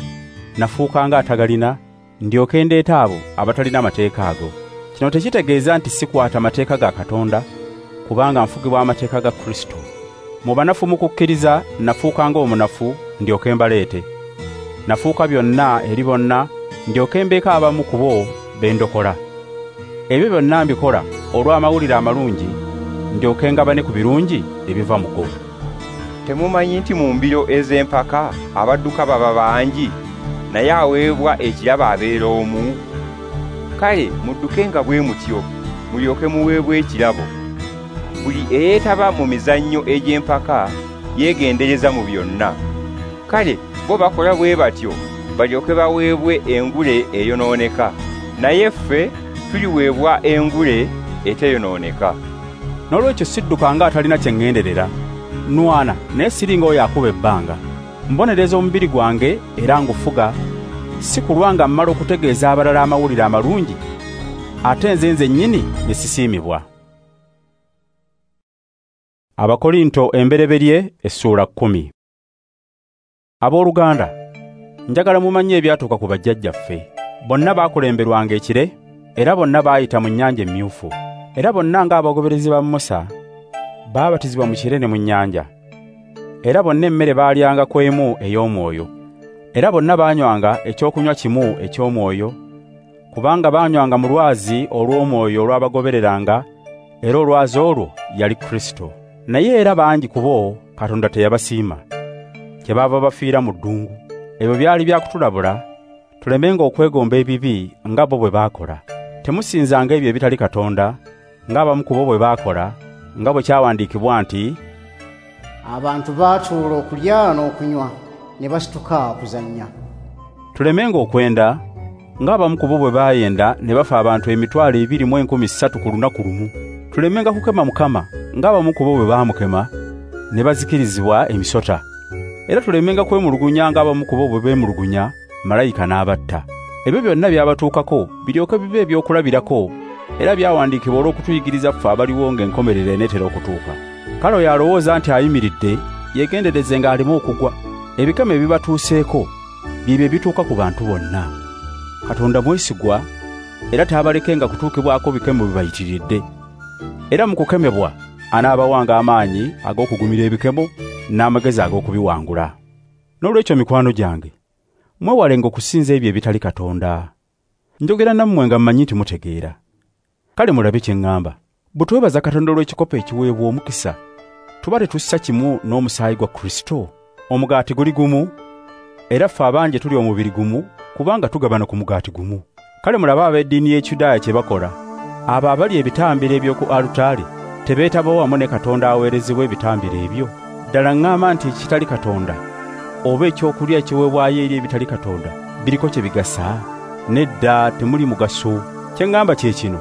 Speaker 1: nafuuka nga atagalina ndyoke ndeete abo abatalina mateeka ago. Kino tekitegeeza nti sikwata mateeka ga Katonda, kubanga nfugibwa amateeka ga Kristo. Mu banafu mu kukkiriza nafuuka ng'omunafu ndyoke mbaleete. Nafuuka byonna eri bonna ndyoke mbeeko abamu ku bo be ndokola. Ebyo byonna mbikola olw'amawulire amalungi, ndyoke ngabane ku birungi ebiva mu go.
Speaker 2: Temumanyi nti mu mbiro ez'empaka abadduka baba bangi, naye aweebwa ekirabo abeera omu? Kale muddukenga bwe mutyo, mulyoke muweebwe ekirabo. Buli eyeetaba mu mizannyo egy'empaka yeegendereza mu byonna. Kale bo bakola bwe batyo balyoke baweebwe engule eyonooneka, naye ffe tuliweebwa engule eteyonooneka.
Speaker 1: N'olwekyo sidduka nga atalina kye ŋŋenderera, nwana naye siringa oyo akuba ebbanga. Mbonereza omubiri gwange era ngufuga, si kulwa nga mmala okutegeeza abalala amawulire amalungi, ate nze nzennyini ne sisiimibwa. Abakorinto embereberye essuula kkumi. Abooluganda, njagala mumanye ebyatuuka ku bajjajjaffe. Bonna baakulemberwanga ekire, era bonna baayita mu nnyanja emmyufu. Era bonna ng'abagoberezi ba Musa baabatizibwa mu kire ne mu nnyanja. Era bonna emmere baalyanga ku emu ey'omwoyo. Era bonna baanywanga ekyokunywa kimu eky'omwoyo, kubanga baanywanga mu lwazi olw'omwoyo olwabagobereranga, era olwazi olwo yali Kristo. Naye era bangi ku bo Katonda teyabasiima, kyebaava bafiira mu ddungu. Ebyo byali bya kutulabula, tulemenga okwegomba ebibi nga bo bwe baakola. Temusinzanga ebyo ebitali Katonda, ng'abamu ku bo bwe baakola, nga bwe kyawandiikibwa nti,
Speaker 3: abantu baatuula okulya n'okunywa, ne basituka okuzannya.
Speaker 1: Tulemenga okwenda, ng'abamu ku bo bwe baayenda ne bafa abantu emitwalo ebiri mu enkumi ssatu ku lunaku lumu. Tulemenga kukema Mukama, ng'abamu ku bo bwe baamukema, ne bazikirizibwa emisota. Era tulemenga kwemulugunya ng'abamu ku bo bwe beemulugunya, malayika n'abatta. Ebyo byonna byabatuukako biryoke bibe ebyokulabirako, era byawandiikibwa olw'okutuyigiriza ffe abaliwo ng'enkomerero eneetera okutuuka. Kale oyo alowooza nti ayimiridde, yeegendereze ng'aleme okugwa. Ebikemo ebibatuuseeko byebyo ebituuka ku bantu bonna. Katonda mwesigwa, era taabalekenga kutuukibwako bikemo bibayitiridde. Era mu kukemebwa anaabawanga amaanyi ag'okugumira ebikemo n'amagezi ag'okubiwangula. N'olwekyo mikwano gyange, mwewalenga okusinza ebyo ebitali Katonda. Njogera nammwe nga mmanyi nti mutegeera. Kale mulabe kye ŋŋamba. Bwe twebaza Katonda olw'ekikopo ekiweebwa omukisa, tuba tetussa kimu n'omusaayi gwa Kristo. Omugaati guli gumu, era ffe abangi tuli omubiri gumu, kubanga tugabana ku mugaati gumu. Kale mulabe ab'eddiini y'Ekiyudaaya kye bakola. Abo abali ebitambiro eby'oku alutaari tebeetaba wamu ne Katonda aweerezebwa ebitambiro ebyo. Ddala ŋŋamba nti ekitali Katonda oba ekyokulya ekiweebwayo eri ebitali Katonda biriko kye bigasa? Nedda, temuli mugaso. Kye ŋŋamba kye kino,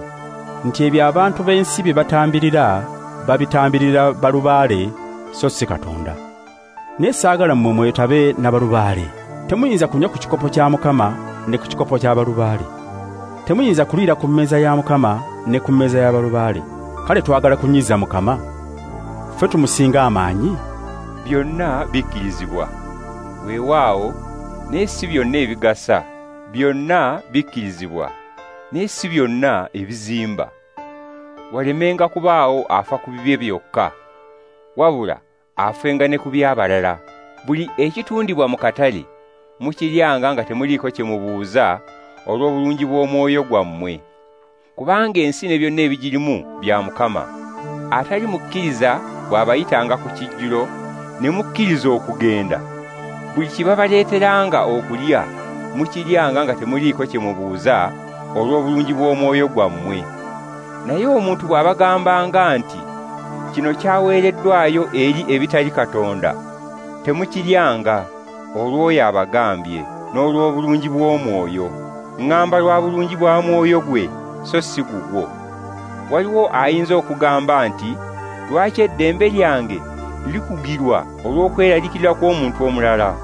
Speaker 1: nti ebyo abantu b'ensi bye batambirira babitambirira balubaale, so si Katonda. Naye saagala mmwe mwetabe na balubaale. Temuyinza kunywa ku kikopo kya Mukama ne ku kikopo kya balubaale. Temuyinza kuliira ku mmeeza ya Mukama ne ku mmeeza ya balubaale. Kale twagala kunyiza Mukama? Ffe tumusinga amaanyi?
Speaker 2: Byonna bikkirizibwa, weewaawo, naye si byonna ebigasa. Byonna bikkirizibwa, naye si byonna ebizimba. Walemenga kubaawo afa ku bibye byokka, wabula afenga ne ku by'abalala. Buli ekitundibwa mu katale mukiryanga nga temuliiko kye mubuuza olw'obulungi bw'omwoyo gwammwe, kubanga ensi ne byonna ebigirimu bya Mukama. Atali mukkiriza bw'abayitanga ku kijjulo ne mukkiriza okugenda, buli kibabaleeteranga okulya mukiryanga nga temuliiko kye mubuuza olw'obulungi bw'omwoyo gwammwe. Naye omuntu bw'abagambanga nti kino kyaweereddwayo eri ebitali Katonda, temukiryanga olw'oyo abagambye n'olw'obulungi bw'omwoyo. Ŋŋamba lwa bulungi bwa mwoyo gwe, so si gugwo. Waliwo ayinza okugamba nti, lwaki eddembe lyange likugirwa olw'okweraliikirira kw'omuntu omulala?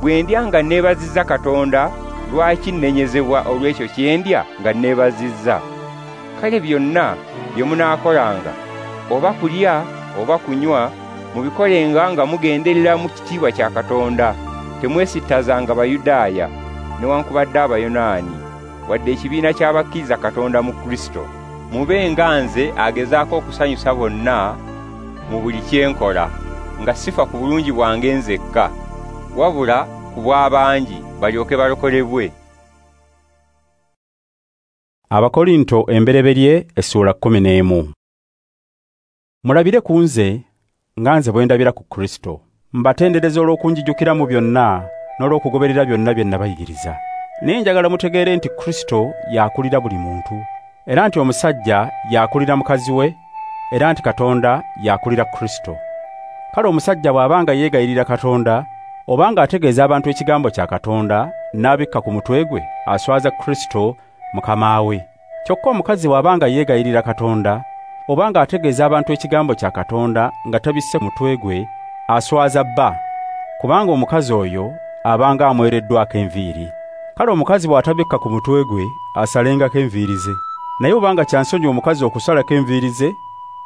Speaker 2: Bwe ndya nga neebazizza Katonda, lwaki nnenyezebwa olw'ekyo kye ndya nga neebazizza? Kale byonna bye munaakolanga, oba kulya oba kunywa, mubikolenga nga mugenderera mu kitiibwa kya Katonda. Temwesittazanga Bayudaaya newankubadde Abayonaani, wadde ekibiina ky'abakkiriza Katonda mu Kristo. Mube nga nze agezaako okusanyusa bonna mu buli kye nkola, nga sifa ku bulungi bwange nzekka, wabula ku bw'abangi balyoke balokolebwe.
Speaker 1: Abakorinto embereberye essuula kkumi n'emu. Mulabire ku nze nga nze bwe ndabira ku Kristo. Mbatendereza olw'okunjijukira mu byonna, n'olw'okugoberera byonna bye nabayigiriza. Naye njagala mutegeere nti Kristo y'akulira buli muntu, era nti omusajja y'akulira mukazi we, era nti Katonda y'akulira Kristo. Kale omusajja bw'abanga yeegayirira Katonda, obanga ategeeza abantu ekigambo kya Katonda, n'abikka ku mutwe gwe, aswaza Kristo mukama we. Kyokka omukazi bw'abanga yeegayirira Katonda, obanga ategeeza abantu ekigambo kya Katonda nga tabisse mutwe gwe, aswaza bba, kubanga omukazi oyo abanga amwereddwako enviiri. Kale omukazi bw'atabikka ku mutwe gwe, asalengako enviiri ze. Naye obanga kyansonyi omukazi okusalako enviiri ze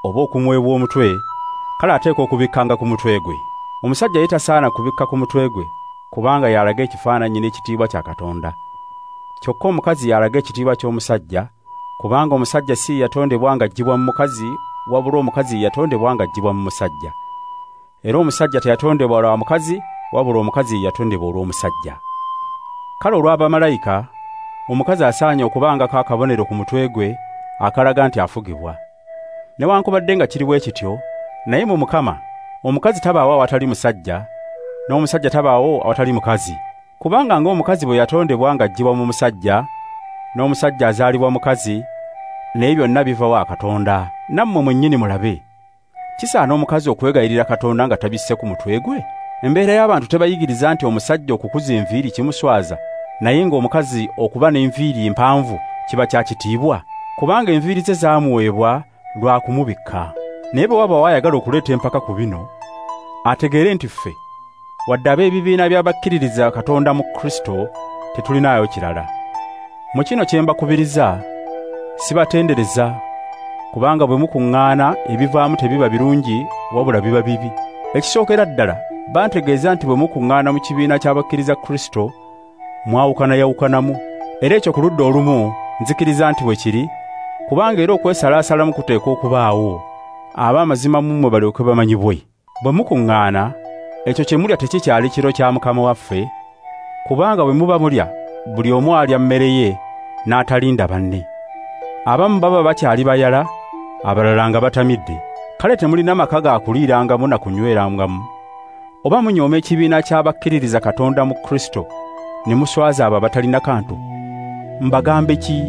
Speaker 1: oba okumwebwa omutwe, kale ateekwa okubikkanga ku mutwe gwe. Omusajja ye tasaana kubikka ku mutwe gwe, kubanga y'alaga ekifaananyi n'ekitiibwa kya Katonda. Kyokka omukazi y'alaga ekitiibwa ky'omusajja, kubanga omusajja si yatondebwa ng'aggyibwa mu mukazi, wabula omukazi yatondebwa ng'aggyibwa mu musajja. Era omusajja teyatondebwa lwa mukazi, wabula omukazi yatondebwa olw'omusajja. Kale olw'abamalayika, omukazi asaanye okubangako akabonero ku mutwe gwe akalaga nti afugibwa. Newankubadde nga kiri bwe kityo, naye mu Mukama omukazi tabaawo awatali musajja, n'omusajja tabaawo awatali mukazi. Kubanga ng'omukazi bwe yatondebwa ng'aggyibwa mu musajja, n'omusajja azaalibwa mukazi, naye byonna biva wa Katonda. Nammwe mwennyini mulabe, kisaana omukazi okwegayirira Katonda nga tabisse ku mutwe gwe? Embeera y'abantu tebayigiriza nti omusajja okukuza enviiri kimuswaza, naye ng'omukazi okuba n'enviiri empanvu kiba kya kitiibwa, kubanga enviiri ze zaamuweebwa lwa kumubikka. Naye bwe waba ayagala okuleeta empaka ku bino, ategeere nti ffe, wadde ab'ebibiina by'abakkiririza Katonda mu Kristo, tetulinaayo kirala. Mu kino kye mbakubiriza, sibatendereza, kubanga bwe mukuŋŋaana ebivaamu tebiba birungi, wabula biba bibi. Ekisookera ddala, bantegeeza nti bwe mukuŋŋaana mu kibiina ky'abakkiriza Kristo, mwawukanayawukanamu. Era ekyo ku ludda olumu nzikiriza nti bwe kiri, kubanga era okwesalaasalamu kuteekwa okubaawo, ab'amazima mu mmwe balyoke bamanyibwe. Bwe mukuŋŋaana, ekyo kye mulya tekikyali kiro kya Mukama waffe, kubanga bwe muba mulya, buli omu alya mmere ye n'atalinda banne. Abamu baba bakyali bayala, abalala nga batamidde. Kale temulina maka ga kuliirangamu na kunywerangamu. Oba munyooma ekibiina ky'abakkiririza Katonda mu Kristo, ne muswaza abo abatalina kantu. Mbagambe ki?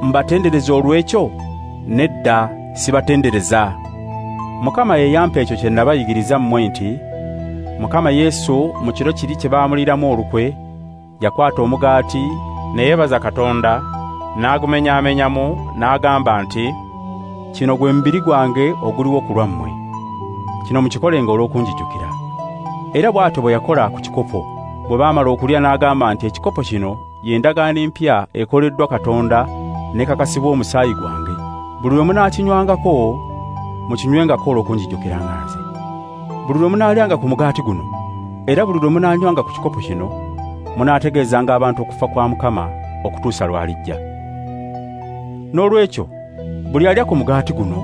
Speaker 1: Mbatendereza olw'ekyo? Nedda, sibatendereza. Mukama ye yampa ekyo kye nabayigiriza mmwe nti, Mukama Yesu mu kiro kiri kye baamuliramu olukwe, yakwata omugaati, ne yeebaza Katonda, n'agumenyaamenyamu, n'agamba nti, kino gwe mubiri gwange oguliwo ku lwammwe. Kino mukikolenga olw'okunjijukira. Era bw'atyo bwe yakola ku kikopo. Bwe baamala okulya n'agamba nti, ekikopo kino ye ndagaano empya ekoleddwa Katonda n'ekakasibwa omusaayi gwange. Buli lwe munaakinywangako, mukinywengako olw'okunjijukiranga nze. Buli lwe munaalyanga ku mugaati guno, era buli lwe munaanywanga ku kikopo kino, munaategeezanga abantu okufa kwa Mukama okutuusa lw'alijja. Noolwekyo, buli alya ku mugaati guno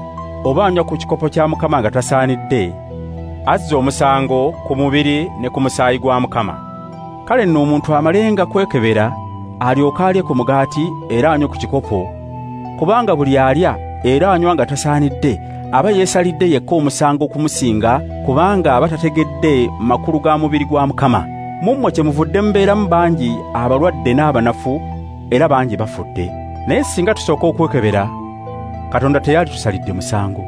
Speaker 1: oba anywa ku kikopo kya Mukama nga tasaanidde, azza omusango ku mubiri ne ku musaayi gwa Mukama. Kale nno omuntu amalenga kwekebera, alyoke alye ku mugaati era anywe ku kikopo, kubanga buli alya era anywa nga tasaanidde, aba yeesalidde yekka omusango okumusinga, kubanga aba tategedde makulu ga mubiri gwa Mukama. Mu mmwe kyemuvudde mubeeramu bangi abalwadde n'abanafu, era bangi bafudde. Naye singa tusooka okwekebera, Katonda teyali tusalidde musango.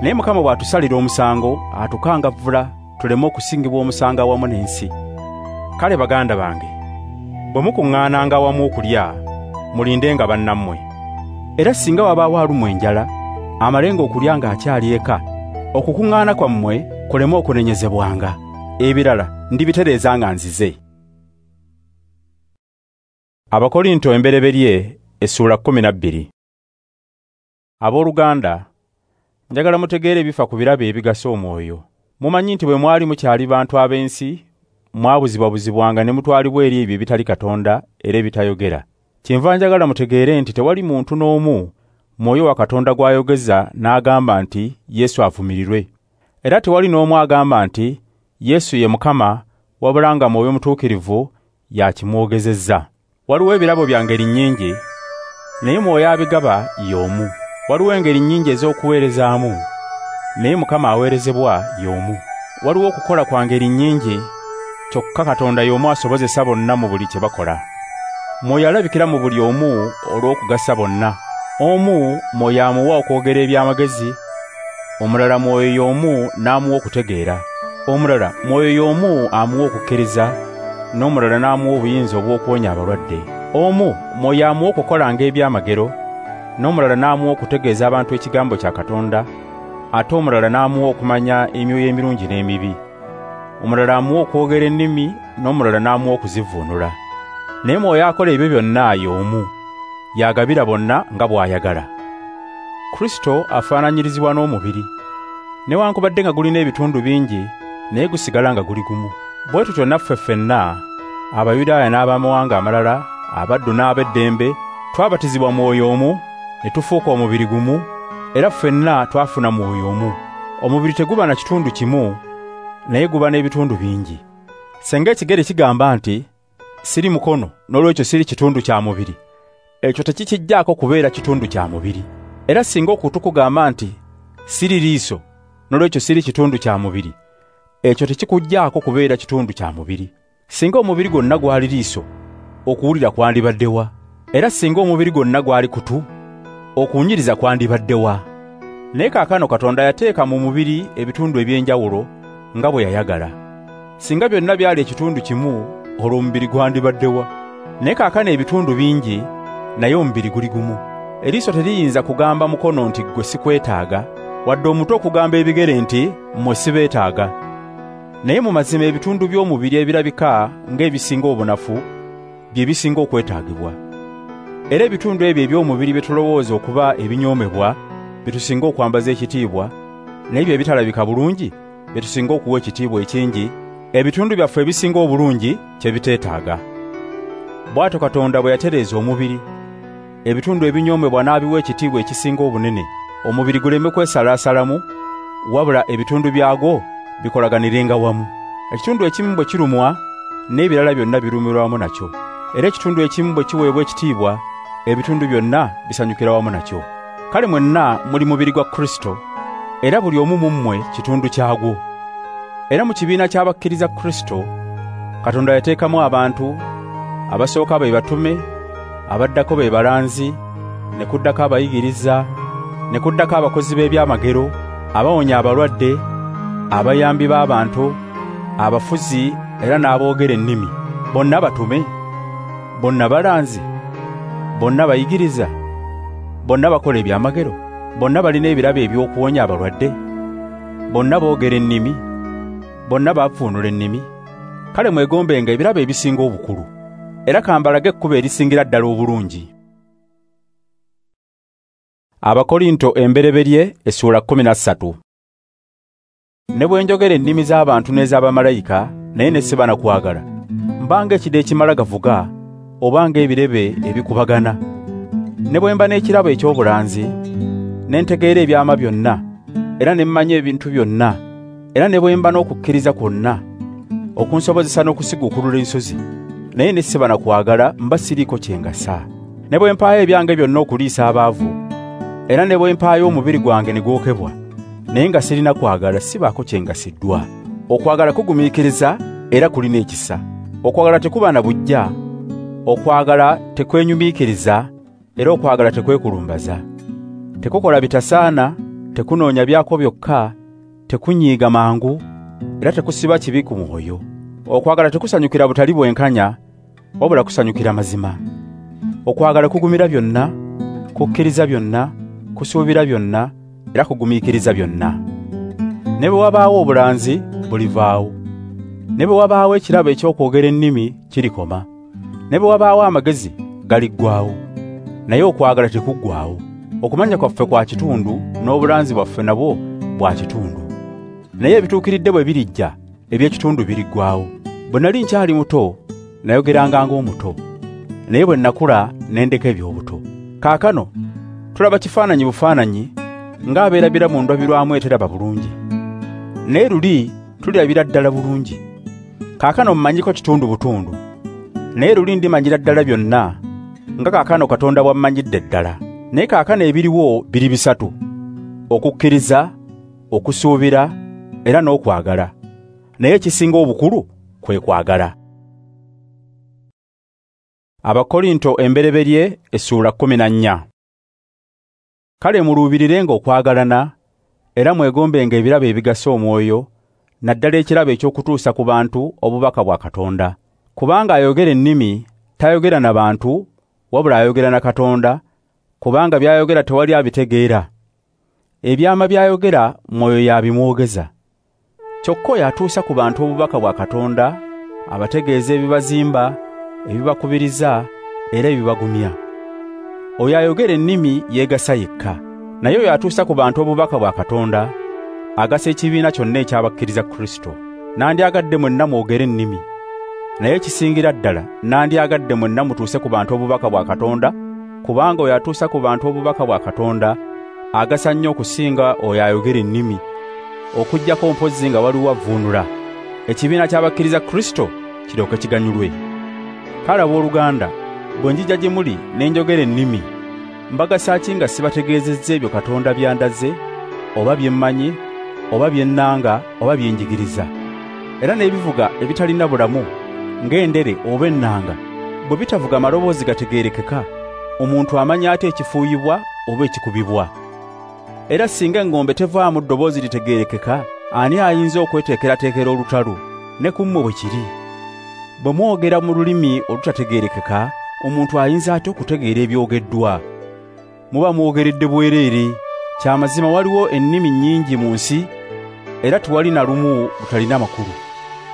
Speaker 1: Naye Mukama bw'atusalira omusango, atukangavvula tuleme okusingibwa omusango awamu n'ensi. Kale baganda bange, bwe mukuŋŋaananga awamu okulya, mulindenga bannammwe. Era singa wabaawo alumwa enjala, amalenga okulya ng'akyali eka, okukuŋŋaana kwammwe kuleme okunenyezebwanga. Ebirala ndibitereeza nga nzize. Abakorinto embereberye essuula kkumi na bbiri. Abooluganda, njagala mutegeere ebifa ku birabo ebigasa omwoyo. Mumanyi nti bwe mwali mukyali bantu ab'ensi, mwabuzibwabuzibwanga ne mutwalibwa eri ebyo ebitali Katonda era ebitayogera. Kyenva njagala mutegeere nti tewali muntu n'omu mwoyo wa Katonda gw'ayogeza n'agamba nti Yesu avumirirwe. Era tewali n'omu agamba nti Yesu ye Mukama, wabula nga Mwoyo Mutuukirivu y'akimwogezezza. Waliwo ebirabo bya ngeri nnyingi, naye Mwoyo abigaba y'omu. Waliwo engeri nnyingi ez'okuweerezaamu, naye Mukama aweerezebwa y'omu. Waliwo okukola kwa ngeri nnyingi, Kyokka Katonda y'omu asobozesa bonna mu buli kye bakola. Mwoyo alabikira mu buli omu olw'okugasa bonna. Omu Mwoyo amuwa okwogera eby'amagezi, omulala Mwoyo y'omu n'amuwa okutegeera, omulala Mwoyo y'omu amuwa okukkiriza, n'omulala n'amuwa obuyinza obw'okuwonya abalwadde. Omu Mwoyo amuwa okukolanga ebyamagero, n'omulala n'amuwa okutegeeza abantu ekigambo kya Katonda, ate omulala n'amuwa okumanya emyoyo emirungi n'emibi. Omulala amuwa okwogera ennimi, n'omulala n'amuwa okuzivvuunula. Naye Mwoyo akola ebyo byonna y'omu, yagabira bonna nga bw'ayagala. Kristo afaananyirizibwa n'omubiri. Newankubadde nga gulina ebitundu bingi, naye gusigala nga guli gumu. Bwe tutyo naffe ffenna, Abayudaaya n'abamawanga amalala, abaddu n'ab'eddembe, twabatizibwa Mwoyo omu, ne tufuuka omubiri gumu, era ffenna twafuna Mwoyo omu. Omubiri teguba na kitundu kimu, naye guba n'ebitundu bingi. Singa ekigere kigamba nti, siri mukono, n'olwekyo siri kitundu kya mubiri, ekyo tekikijjaako kubeera kitundu kya mubiri. Era singa okutu kugamba nti, siri liiso, n'olwekyo siri kitundu kya mubiri, ekyo tekikujjaako kubeera kitundu kya mubiri. Singa omubiri gwonna gwali liiso, okuwulira kwandibadde wa? Era singa omubiri gwonna gwali kutu, okuwunyiriza kwandibadde wa? Naye kaakano Katonda yateeka mu mubiri ebitundu eby'enjawulo nga bwe yayagala. Singa byonna byali ekitundu kimu, olwo omubiri gwandibadde wa? Naye kaakano ebitundu bingi, naye omubiri guli gumu. Eriiso teriyinza kugamba mukono nti ggwe sikwetaaga, wadde omutwe okugamba ebigere nti mmwe sibeetaaga. Naye mu mazima ebitundu by'omubiri ebirabika ng'ebisinga obunafu bye bisinga okwetaagibwa. Era ebitundu ebyo eby'omubiri bye tulowooza okuba ebinyoomebwa bye tusinga okwambaza ekitiibwa, naye bye bitalabika bulungi bye tusinga okuwa ekitiibwa ekingi, ebitundu byaffe ebisinga obulungi kye biteetaaga. Bw'atyo Katonda bwe yatereeza omubiri, ebitundu ebinyoomebwa n'abiwa ekitiibwa ekisinga obunene, omubiri guleme kwesalaasalamu, wabula ebitundu byagwo bikolaganirenga wamu. Ekitundu ekimu bwe kirumwa, n'ebirala byonna birumirwa wamu nakyo. Era ekitundu ekimu bwe kiweebwa ekitiibwa, ebitundu byonna bisanyukira wamu nakyo. Kale mwenna muli mubiri gwa Kristo, era buli omu mu mmwe kitundu kyagwo. Era mu kibiina ky'abakkiriza Kristo, Katonda yateekamu abantu, abasooka be batume, abaddako be balanzi, ne kuddako abayigiriza, ne kuddako abakozi b'ebyamagero, abawonya abalwadde, abayambi b'abantu, abafuzi era n'aboogera ennimi. Bonna batume, bonna balanzi, bonna bayigiriza, bonna bakola ebyamagero, bonna balina ebirabo eby'okuwonya abalwadde, bonna boogera ennimi, bonna bavvuunula ennimi. Kale mwegombenga ebirabo ebisinga obukulu, era kambalage ekkubo erisingira ddala obulungi. Abakorinto embereberye essuula kkumi na ssatu. Ne bwe njogera ennimi z'abantu n'ez'abamalayika, naye ne siba na kwagala, mbanga ekide ekimala gavuga, oba ng'ebirebe ebikubagana. Ne bwe mba n'ekirabo eky'obulanzi, ne ntegeera ebyama byonna, era ne mmanya ebintu byonna, era ne bwe mba n'okukkiriza kwonna, okunsobozesa n'okusiguukulula ensozi, naye ne siba na kwagala, mba siriiko kye ngasa. Ne bwe mpaayo ebyange byonna okuliisa abaavu, era ne bwe mpaayo omubiri gwange ne gwokebwa, naye nga sirina kwagala, sibaako kye ngasiddwa. Okwagala kugumiikiriza era kulina ekisa. Okwagala tekuba na buggya, okwagala tekwenyumiikiriza, era okwagala tekwekulumbaza. Tekukola bitasaana, tekunoonya byako byokka, tekunyiiga mangu, era tekusiba kibi ku mwoyo. Okwagala tekusanyukira butali bwenkanya, wabula kusanyukira mazima. Okwagala kugumira byonna, kukkiriza byonna, kusuubira byonna, era kugumiikiriza byonna. Ne bwe wabaawo obulanzi, bulivaawo. Ne bwe wabaawo ekirabo eky'okwogera ennimi, kirikoma. Ne bwe wabaawo amagezi, galiggwaawo. Naye okwagala tekuggwaawo. Okumanya kwaffe kwa kitundu, n'obulanzi bwaffe nabwo bwa kitundu. Naye ebituukiridde bwe birijja, eby'ekitundu biriggwaawo. Bwe nali nkyali muto, nayogeranga ng'omuto, naye bwe nakula ne ndeka eby'obuto. Kaakano tulaba kifaananyi bufaananyi, ng'abeerabira mu ndabirwamu eteraba bulungi. Naye luli tulirabira ddala bulungi. Kaakano mmanyiko kitundu butundu, naye luli ndimanyira ddala byonna, nga kaakano Katonda bw'ammanyidde ddala. Naye kaakano ebiriwo biri bisatu: okukkiriza, okusuubira, era n'okwagala. Naye ekisinga obukulu kwe kwagala. Abakorinto embereberye essuula kkumi na nnya. Kale muluubirirenga okwagalana, era mwegombenga ebirabo ebigasa omwoyo, naddala ekirabo eky'okutuusa ku bantu obubaka bwa Katonda. Kubanga ayogera ennimi tayogera na bantu, wabula ayogera na Katonda, kubanga by'ayogera tewali abitegeera. Ebyama by'ayogera mwoyo y'abimwogeza. Kyokka oyo atuusa ku bantu obubaka bwa Katonda abategeeza ebibazimba, ebibakubiriza era ebibagumya. Oyo ayogera ennimi yeegasa yekka, naye oyo atuusa ku bantu obubaka bwa Katonda agasa ekibiina kyonna ekyabakkiriza Kristo. Nandyagadde mwenna mwogere ennimi, naye ekisingira ddala nandyagadde mwenna mutuuse ku bantu obubaka bwa Katonda, kubanga oyo atuusa ku bantu obubaka bwa Katonda agasa nnyo okusinga oyo ayogera ennimi, okuggyako mpozzi nga waliwo avvuunula, ekibiina ky'abakkiriza Kristo kiryoke kiganyulwe. Kale abooluganda, bwe njija gye muli ne njogera ennimi, mbagasa ki nga sibategeezezza ebyo Katonda by'andaze, oba bye mmanyi, oba bye nnanga, oba bye njigiriza? Era n'ebivuga ebitalina bulamu ng'endere oba ennanga, bwe bitavuga maloboozi gategeerekeka, omuntu amanya ate ekifuuyibwa oba ekikubibwa? Era singa engombe tevaamu ddoboozi litegeerekeka, ani ayinza okweteekerateekera olutalo? Ne ku mmwe bwe kiri. Bwe mwogera mu lulimi olutategeerekeka, omuntu ayinza atya okutegeera ebyogeddwa? Muba mwogeredde bwereere. Kya mazima waliwo ennimi nnyingi mu nsi, era tewali na lumu lutalina makulu.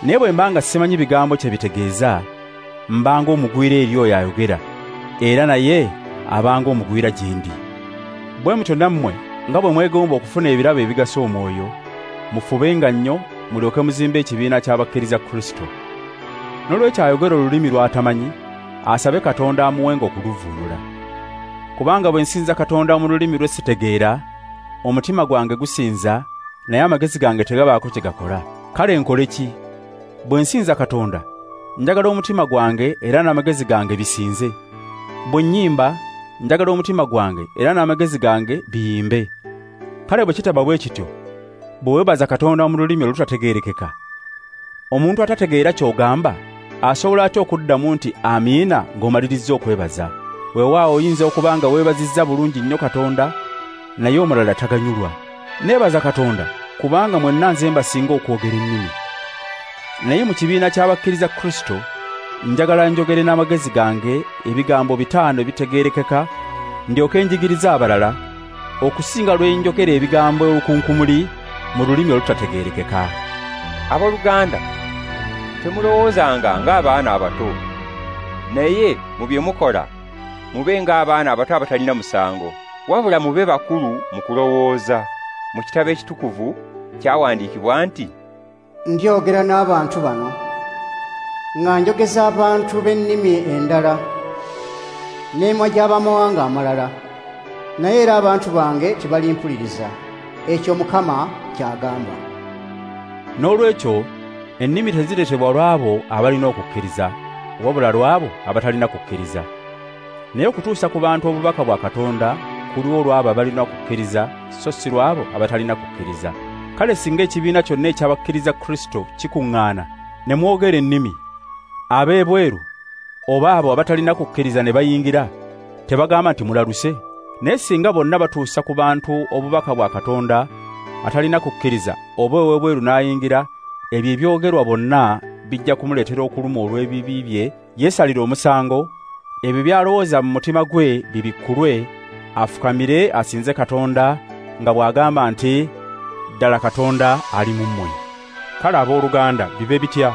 Speaker 1: Naye bwe mba nga simanyi bigambo kye bitegeeza, mbanga omugwira eri oyo ayogera, era naye abanga omugwira gye ndi. Bwe mutyo nammwe nga bwe mwegomba okufuna ebirabo ebigasa omwoyo, mufubenga nnyo mulyoke muzimbe ekibiina ky'abakkiriza Kristo. Noolwekyo ayogera olulimi lw'atamanyi, asabe Katonda amuwenga okuluvvuunula. Kubanga bwe nsinza Katonda mu lulimi lwe sitegeera, omutima gwange gusinza, naye amagezi gange tegabaako kye gakola. Kale nkole ki? Bwe nsinza Katonda, njagala omutima gwange era n'amagezi gange bisinze. Bwe nnyimba, njagala omutima gwange era n'amagezi gange biyimbe. Kale bwe kitaba bwe kityo, bwe weebaza Katonda mu lulimi olutategeerekeka, omuntu atategeera ky'ogamba asobola atya okuddamu nti amiina ng'omalirizza okwebaza? Weewaawo oyinza okuba nga weebazizza bulungi nnyo Katonda, naye omulala taganyulwa. Neebaza Katonda kubanga mwenna nze mbasinga okwogera ennimi. Naye mu kibiina ky'abakkiriza Kristo njagala njogere n'amagezi gange ebigambo bitaano ebitegeerekeka, ndyoke njigirize abalala, okusinga lwe njogera ebigambo olukunkumuli mu lulimi olutategeerekeka.
Speaker 2: Abooluganda, temulowoozanga ng'abaana abato, naye mu bye mukola mube ng'abaana abato abatalina musango, wabula mube bakulu mu kulowooza. Mu kitabo ekitukuvu kyawandiikibwa nti,
Speaker 3: Ndyogera n'abantu bano nga njogeza abantu b'ennimi endala n'emwa gy'abamawanga amalala, naye era abantu bange tebalimpuliriza. Ekyo Mukama ky'agamba.
Speaker 1: Noolwekyo ennimi tezireetebwa lw'abo abalina okukkiriza, wabula lw'abo abatalina kukkiriza. Naye okutuusa ku bantu obubaka bwa Katonda kuliwo lw'abo abalina okukkiriza, so si lw'abo abatalina kukkiriza. Kale singa ekibiina kyonna ekyabakkiriza Kristo kikuŋŋaana ne mwogera ennimi, ab'ebweru oba abo abatalina kukkiriza ne bayingira, tebagamba nti mulaluse? Naye singa bonna batuusa ku bantu obubaka bwa Katonda, atalina kukkiriza oba ow'ebweru n'ayingira, ebyo ebyogerwa bonna bijja kumuleetera okulumwa olw'ebibi bye, yeesalire omusango, ebyo by'alowooza mu mutima gwe bibikkulwe, afukamire asinze Katonda nga bw'agamba nti, ddala Katonda ali mu mmwe. Kale abooluganda, bibe bitya?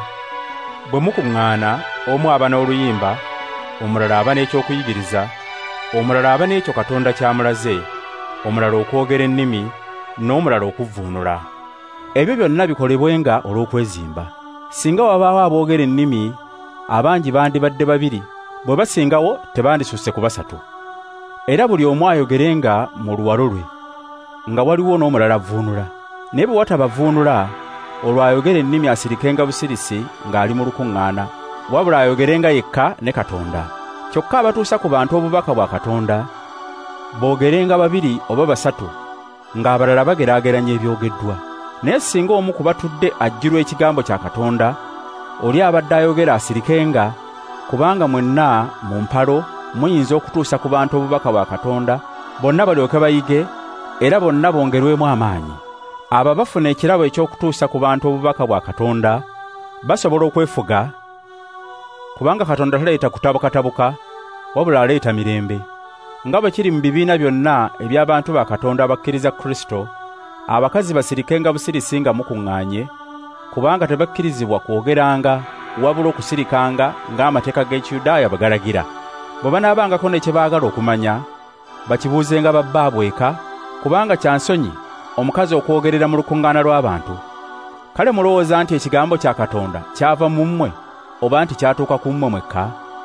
Speaker 1: Bwe mukuŋŋaana, omu aba n'oluyimba, omulala aba n'ekyokuyigiriza, omulala aba n'ekyo Katonda ky'amulaze, omulala okwogera ennimi, n'omulala okuvvuunula. Ebyo byonna bikolebwenga olw'okwezimba. Singa wabaawo aboogera ennimi, abangi bandibadde babiri, bwe basingawo tebandisusse ku basatu. Era buli omu ayogerenga mu luwalo lwe, nga waliwo n'omulala avvuunula. Naye bwe wataba avvuunula, olwo ayogera ennimi asirikenga busirisi ng'ali mu lukuŋŋaana, wabula ayogerenga yekka ne Katonda. Kyokka abatuusa ku bantu obubaka bwa Katonda boogerenga babiri oba basatu, ng'abalala bageraageranya ebyogeddwa. Naye singa omu ku batudde ajjirwa ekigambo kya Katonda, Oli abadde ayogera asirikenga, kubanga mwenna mu mpalo muyinza okutuusa ku bantu obubaka bwa Katonda, bonna balyoke bayige era bonna bongerwemu amaanyi. Abo abafuna ekirabo eky'okutuusa ku bantu obubaka bwa Katonda basobola okwefuga, kubanga Katonda taleeta kutabukatabuka, wabula aleeta mirembe. Nga bwe kiri mu bibiina byonna eby'abantu ba Katonda abakkiriza Kristo, abakazi basirikenga busirisi nga mukuŋŋaanye, kubanga tebakkirizibwa kwogeranga wabula okusirikanga ng'amateeka g'Ekiyudaaya bwe galagira. Bwe banaabangako ne kye baagala okumanya, bakibuuzenga babbaabwe eka, kubanga kya nsonyi omukazi okwogerera mu lukuŋŋaana lw'abantu. Kale mulowooza nti ekigambo kya Katonda kyava mu mmwe, oba nti kyatuuka ku mmwe mwekka?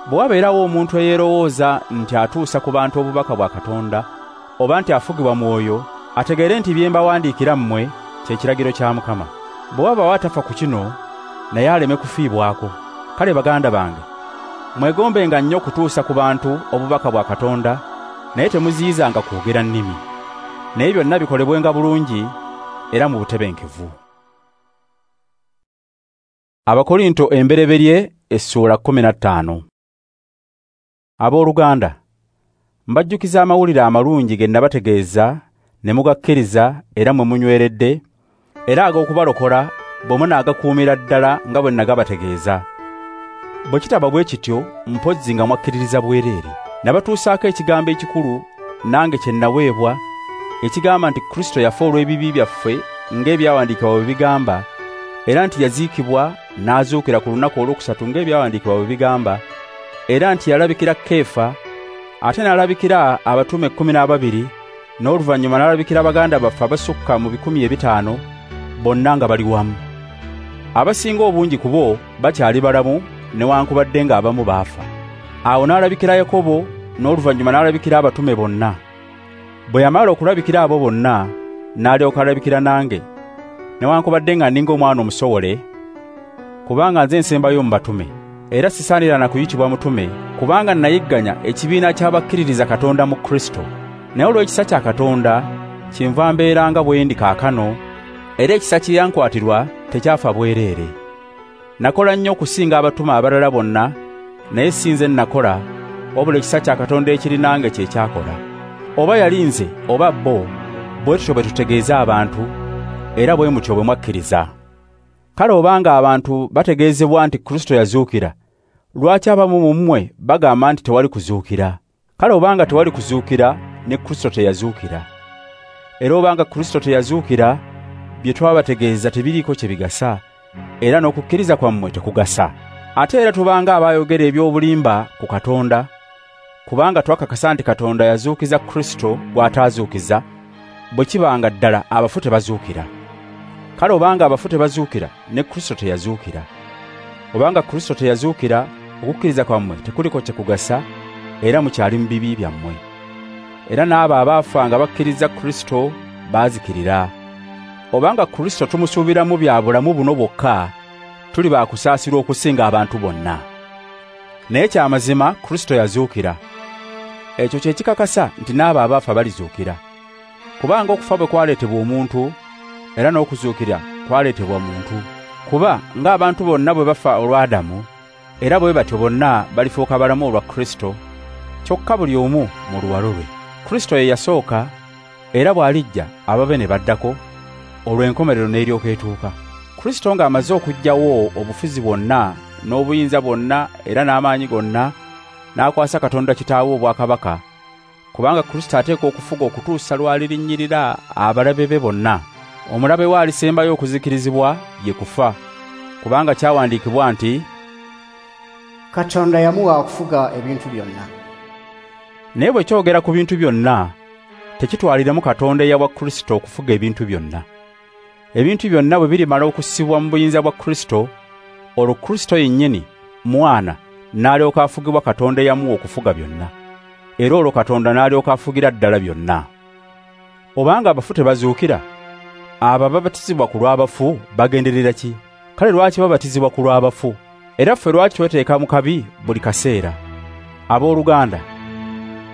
Speaker 1: Bwe wabeerawo omuntu eyeerowooza nti atuusa ku bantu obubaka bwa Katonda, oba nti afugibwa Mwoyo, ategeere nti bye mbawandiikira mmwe kye kiragiro kya Mukama. Bwe wabaawo atafa ku kino, naye aleme kufiibwako. Kale baganda bange, mwegombenga nnyo okutuusa ku bantu obubaka bwa Katonda, naye temuziyizanga kwogera nnimi. Naye byonna bikolebwenga bulungi era mu butebenkevu. Abakorinto embereberye essuula kkumi na ttaano. Abooluganda, mbajjukiza amawulire amalungi ge nabategeeza ne mugakkiriza era mwe munyweredde, era ag'okubalokola bwe munaagakuumira ddala nga bwe nagabategeeza. Bwe kitaba bwe kityo, mpozzi nga mwakkiririza bwereere. Nabatuusaako ekigambo ekikulu nange kye naweebwa, ekigamba nti Kristo yafa olw'ebibi byaffe ng'ebyawandiikibwa bwe bigamba, era nti yaziikibwa n'azuukira ku lunaku olwokusatu ng'ebyawandiikibwa bwe bigamba, era nti yalabikira Keefa, ate n'alabikira abatume kkumi n'ababiri, n'oluvannyuma n'alabikira baganda baffe abasukka mu bikumi ebitaano, bonna nga bali wamu. Abasinga obungi ku bo bakyali balamu, newankubadde ng'abamu baafa. Awo n'alabikira Yakobo, n'oluvannyuma n'alabikira abatume bonna. Bwe yamala okulabikira abo bonna, n'alyoka alabikira nange, newankubadde nga nninga omwana omusowole, kubanga nze nsembayo mu batume. Era sisaanira na kuyitibwa mutume, kubanga nayigganya ekibiina ky'abakkiririza Katonda mu Kristo. Naye olw'ekisa kya Katonda kyenva mbeera nga bwe ndi kaakano, era ekisa kye yankwatirwa tekyafa bwereere. Nakola nnyo okusinga abatume abalala bonna, naye si nze nakola, wabula ekisa kya Katonda ekiri nange kye kyakola. Oba yali nze oba bo, bwe tutyo bwe tutegeeza abantu, era bwe mutyo bwe mwakkiriza. Kale obanga abantu bategeezebwa nti Kristo yazuukira, lwaki abamu mu mmwe bagamba nti tewali kuzuukira? Kale obanga tewali kuzuukira, ne Kristo teyazuukira. Era obanga Kristo teyazuukira, bye twabategeeza tebiriiko kye bigasa, era n'okukkiriza kwammwe tekugasa. Ate era tubanga abayogera eby'obulimba ku Katonda, kubanga twakakasa nti Katonda yazuukiza Kristo gw'ataazuukiza, bwe kibanga ddala abafu tebazuukira. Kale obanga abafu tebazuukira, ne Kristo teyazuukira. Obanga Kristo teyazuukira, okukkiriza kwammwe tekuliko kye kugasa, era mukyali mu bibi byammwe. Era n'abo abaafa nga bakkiriza Kristo baazikirira. Obanga Kristo tumusuubiramu bya bulamu buno bwokka, tuli baakusaasirwa okusinga abantu bonna. Naye kyamazima Kristo yazuukira. Ekyo kye kikakasa nti n'abo abaafa balizuukira. Kubanga okufa bwe kwaleetebwa omuntu, era n'okuzuukira kwaleetebwa muntu. Kuba ng'abantu bonna bwe bafa olwa Adamu, era bwe batyo bonna balifuuka balamu olwa Kristo, kyokka buli omu mu luwalo lwe. Kristo ye yasooka, era bw'alijja ababe ne baddako, olw'enkomerero n'eryoka etuuka. Kristo ng'amaze okuggyawo obufuzi bwonna n'obuyinza bwonna era n'amaanyi gonna, n'akwasa Katonda Kitaawe obwakabaka, kubanga Kristo ateekwa okufuga okutuusa lw'alirinnyirira abalabe be bonna. Omulabe we alisembayo okuzikirizibwa ye kufa, kubanga kyawandiikibwa nti,
Speaker 3: Katonda yamuwa okufuga ebintu byonna.
Speaker 1: Naye bwe kyogera ku bintu byonna, tekitwaliramu Katonda eyawa Kristo okufuga ebintu byonna. Ebintu byonna bwe birimala okussibwa mu buyinza bwa Kristo, olwo Kristo yennyini, Mwana, n'alyoka afugibwa Katonda eyamuwa okufuga byonna. Era olwo Katonda n'alyoka afugira ddala byonna. Obanga abafu tebazuukira, abo ababatizibwa ku lw'abafu bagenderera ki? Kale lwaki babatizibwa ku lw'abafu? Era ffe lwaki tweteeka mu kabi buli kaseera? Abooluganda,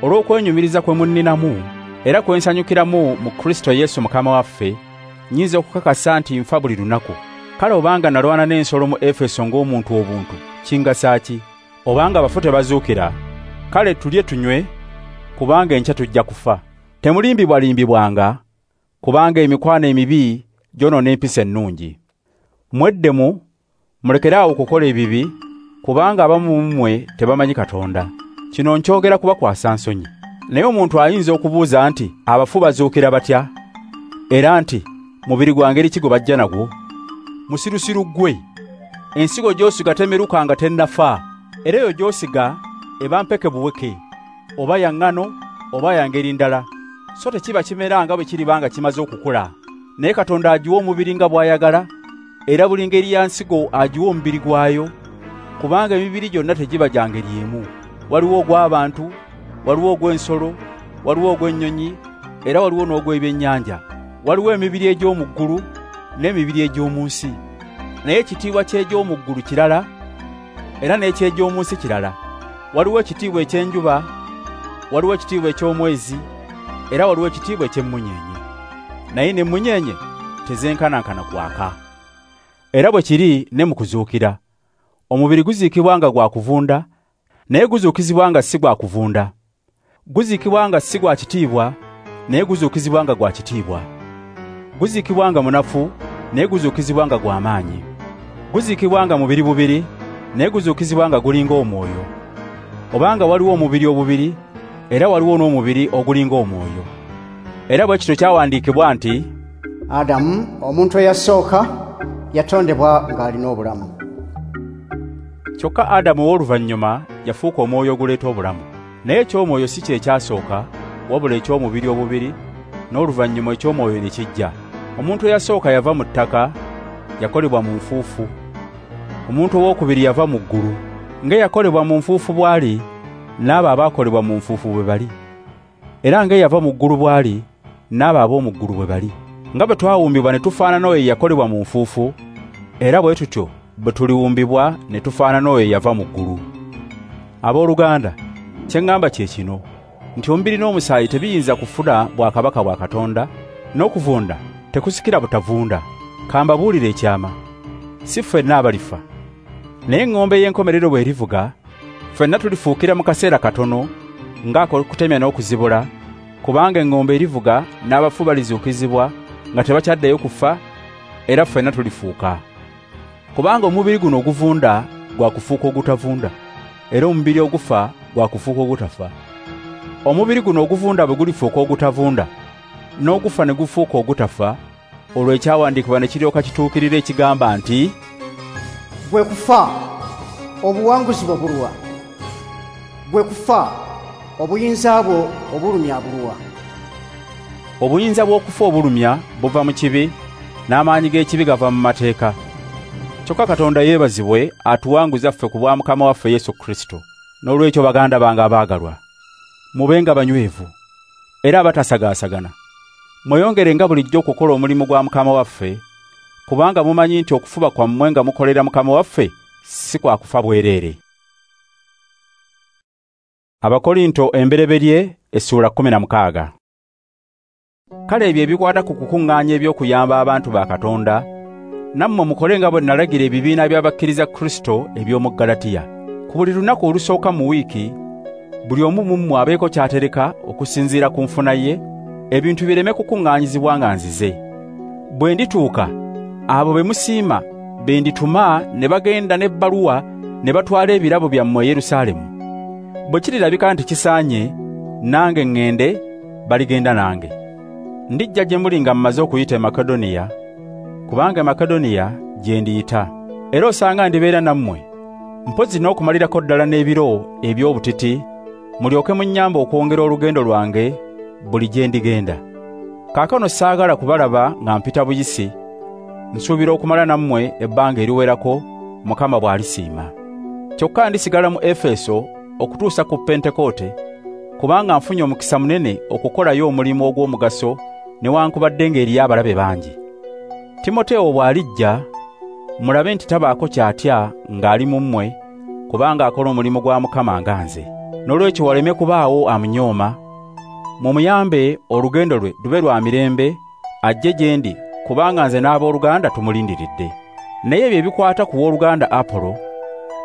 Speaker 1: olw'okwenyumiriza kwe munninamu era kwe nsanyukiramu mu Kristo Yesu Mukama waffe, nnyinza okukakasa nti nfa buli lunaku. Kale obanga nalwana n'ensolo mu Efeso ng'omuntu obuntu, kingasa ki? Obanga abafu tebazuukira, kale tulye tunywe, kubanga enkya tujja kufa. Temulimbibwalimbibwanga, kubanga emikwano emibi gyonoona empisa ennungi. Mweddemu, mulekere awo okukola ebibi, kubanga abamu mu mmwe tebamanyi Katonda. Kino nkyogera kubakwasa nsonyi. Naye omuntu ayinza okubuuza nti, abafu bazuukira batya? Era nti, mubiri gwa ngeri ki gwe bajja nagwo? Musirusiru ggwe! Ensigo gy'osiga temeruka nga tennafa, era eyo gy'osiga eba mpeke buweke, oba ya ŋŋano oba ya ngeri ndala, so tekiba kimera nga bwe kiriba nga kimaze okukula. Naye Katonda agiwa omubiri nga bw'ayagala, era buli ngeri ya nsigo agiwa omubiri gwayo, kubanga emibiri gyonna tegiba gya ngeri emu. Waliwo ogw'abantu, waliwo ogw'ensolo, waliwo ogw'ennyonyi, era waliwo n'ogw'ebyennyanja. Waliwo emibiri egy'omu ggulu n'emibiri egy'omu nsi. Naye ekitiibwa ky'egy'omu ggulu kirala, era n'eky'egy'omu nsi kirala. Waliwo ekitiibwa eky'enjuba, waliwo ekitiibwa eky'omwezi, era waliwo ekitiibwa eky'emmunyeenye. Naye n'emmunyeenye tezenkanankana kwaka. Era bwe kiri ne mu kuzuukira. Omubiri guziikibwa nga gwa kuvunda, naye guzuukizibwa nga si gwa kuvunda. Guziikibwa nga si gwa kitiibwa, naye guzuukizibwa nga gwa kitiibwa. Guziikibwa nga munafu, naye guzuukizibwa nga gwa maanyi. Guziikibwa nga mubiri bubiri, naye guzuukizibwa nga gulinga omwoyo. Obanga waliwo omubiri obubiri, era waliwo n'omubiri ogulinga omwoyo. Era bwe kityo kyawandiikibwa nti,
Speaker 3: Adamu, omuntu eyasooka, yatondebwa ng'alina obulamu.
Speaker 1: Kyokka Adamu ow'oluvannyuma yafuuka omwoyo oguleeta obulamu. Naye eky'omwoyo si kye kyasooka, wabula eky'omubiri obubiri, n'oluvannyuma eky'omwoyo ne kijja. Omuntu eyasooka yava mu ttaka, yakolebwa mu nfuufu. Omuntu owookubiri yava mu ggulu. Ng'eyakolebwa mu nfuufu bw'ali, n'abo abaakolebwa mu nfuufu bwe bali. Era ng'eyava mu ggulu bw'ali, n'abo ab'omu ggulu bwe bali. Nga bwe twawumbibwa ne tufaanana oyo eyakolebwa mu nfuufu, era bwe tutyo bwe tuliwumbibwa ne tufaanana oyo eyava mu ggulu. Abooluganda, kye ŋŋamba kye kino, nti omubiri n'omusaayi tebiyinza kufuna bwakabaka bwa Katonda, n'okuvunda tekusikira butavunda. Ka mbabuulire ekyama, si ffenna abalifa. Naye eŋŋombe y'enkomerero bw'erivuga, ffenna tulifuukira mu kaseera katono, ng'ak'okutemya n'okuzibula, kubanga eŋŋombe erivuga n'abafu balizuukizibwa nga tebakyaddayo kufa, era ffenna tulifuuka. Kubanga omubiri guno oguvunda gwa kufuuka ogutavunda, era omubiri ogufa gwa kufuuka ogutafa. Omubiri guno oguvunda bwe gulifuuka ogutavunda, n'ogufa ne gufuuka ogutafa, olwo ekyawandiikibwa ne kiryoka kituukirira ekigamba nti,
Speaker 3: Gwe kufa, obuwanguzi bwo buluwa? Gwe kufa, obuyinza bwo obulumya buluwa?
Speaker 1: Obuyinza bw'okufa obulumya buva mu kibi, n'amaanyi g'ekibi gava mu mateeka. Kyokka Katonda yeebazibwe atuwanguza ffe ku bwa Mukama waffe Yesu Kristo. Noolwekyo baganda bange abaagalwa, mubenga banywevu era abatasagaasagana. Mweyongerenga bulijjo okukola omulimu gwa Mukama waffe, kubanga mumanyi nti okufuba kwammwe nga mukolera Mukama waffe si kwa kufa bwereere. Abakorinto embereberye essuula kkumi na mukaaga. Kale ebyo ebikwata ku kukuŋŋaanya eby'okuyamba abantu ba Katonda, nammwe mukole nga bwe nalagira ebibiina by'abakkiriza Kristo eby'omu Ggalatiya. Ku buli lunaku olusooka mu wiiki, buli omu mu mmwe abeeko ky'atereka okusinziira ku nfuna ye, ebintu bireme kukuŋŋaanyizibwa nga nzize. Bwe ndituuka, abo be musiima be ndituma ne bagenda n'ebbaluwa ne batwala ebirabo byammwe e Yerusaalemu. Bwe kirirabika nti kisaanye, nange ŋŋende, baligenda nange. Ndijja gye muli nga mmaze okuyita e Makedoniya, kubanga e Makedoniya gye ndiyita. Era osanga ndibeera nammwe, mpozzi n'okumalirako ddala n'ebiro eby'obutiti, mulyoke munnyambe okwongera olugendo lwange buli gye ndigenda. Kaakano saagala kubalaba nga mpita buyisi, nsuubira okumala nammwe ebbanga eriwerako Mukama bw'alisiima. Kyokka ndisigala mu Efeso okutuusa ku Pentekoote, kubanga nfunye omukisa munene okukolayo omulimu ogw'omugaso newankubadde ng'eriyo abalabe bangi. Timotewo bw'alijja, mulabe nti tabaako ky'atya ng'ali mu mmwe, kubanga akola omulimu gwa Mukama nga nze. Noolwekyo waleme kubaawo amunyooma, mumuyambe olugendo lwe lube lwa mirembe, ajje gye ndi, kubanga nze n'abooluganda tumulindiridde. Naye ebyo ebikwata ku w'oluganda Apolo,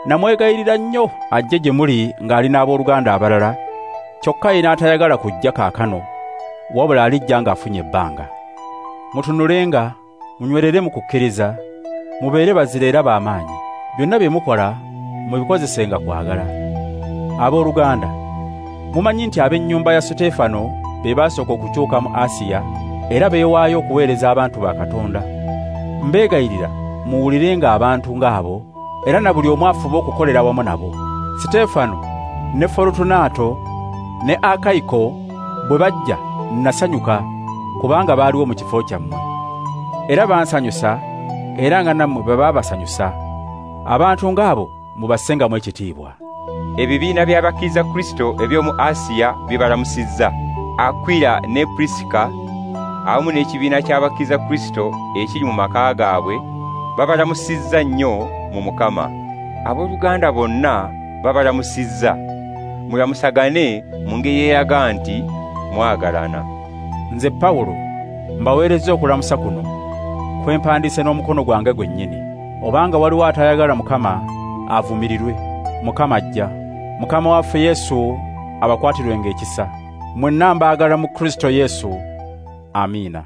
Speaker 1: namwegayirira nnyo ajje gye muli ng'ali n'abooluganda abalala, kyokka ye n'atayagala kujja kaakano, wabula alijja ng'afunye ebbanga. Mutunulenga, munywerere mu kukkiriza, mubeere bazira era b'amaanyi. Byonna bye mukola mubikozesenga kwagala. Abooluganda, mumanyi nti ab'ennyumba ya Suteefano be baasooka okukyuka mu Asiya, era beewaayo okuweereza abantu ba Katonda. Mbeegayirira muwulirenga abantu ng'abo, era na buli omu afuba okukolera wamu nabo. Siteefano ne Forutunaato ne Akayiko bwe bajja nasanyuka, kubanga baaliwo mu kifo kyammwe. Era bansanyusa, era nga nammwe bwe baabasanyusa. Abantu ng'abo mubassengamu ekitiibwa.
Speaker 2: Ebibiina by'abakkiriza Kristo eby'omu Asiya bibalamusizza. Akwila ne Purisika awamu n'ekibiina ky'abakkiriza Kristo ekiri mu maka gaabwe babalamusizza nnyo mu Mukama. Abooluganda bonna babalamusizza. Mulamusagane mu ngeri eraga nti mwagalana.
Speaker 1: Nze Pawulo mbaweerezza okulamusa kuno, kwe mpandiise n'omukono gwange gwennyini. Obanga waliwo atayagala Mukama, avumirirwe. Mukama ajja. Mukama waffe Yesu abakwatirwenga ekisa. Mwenna mbaagala mu Kristo Yesu. Amiina.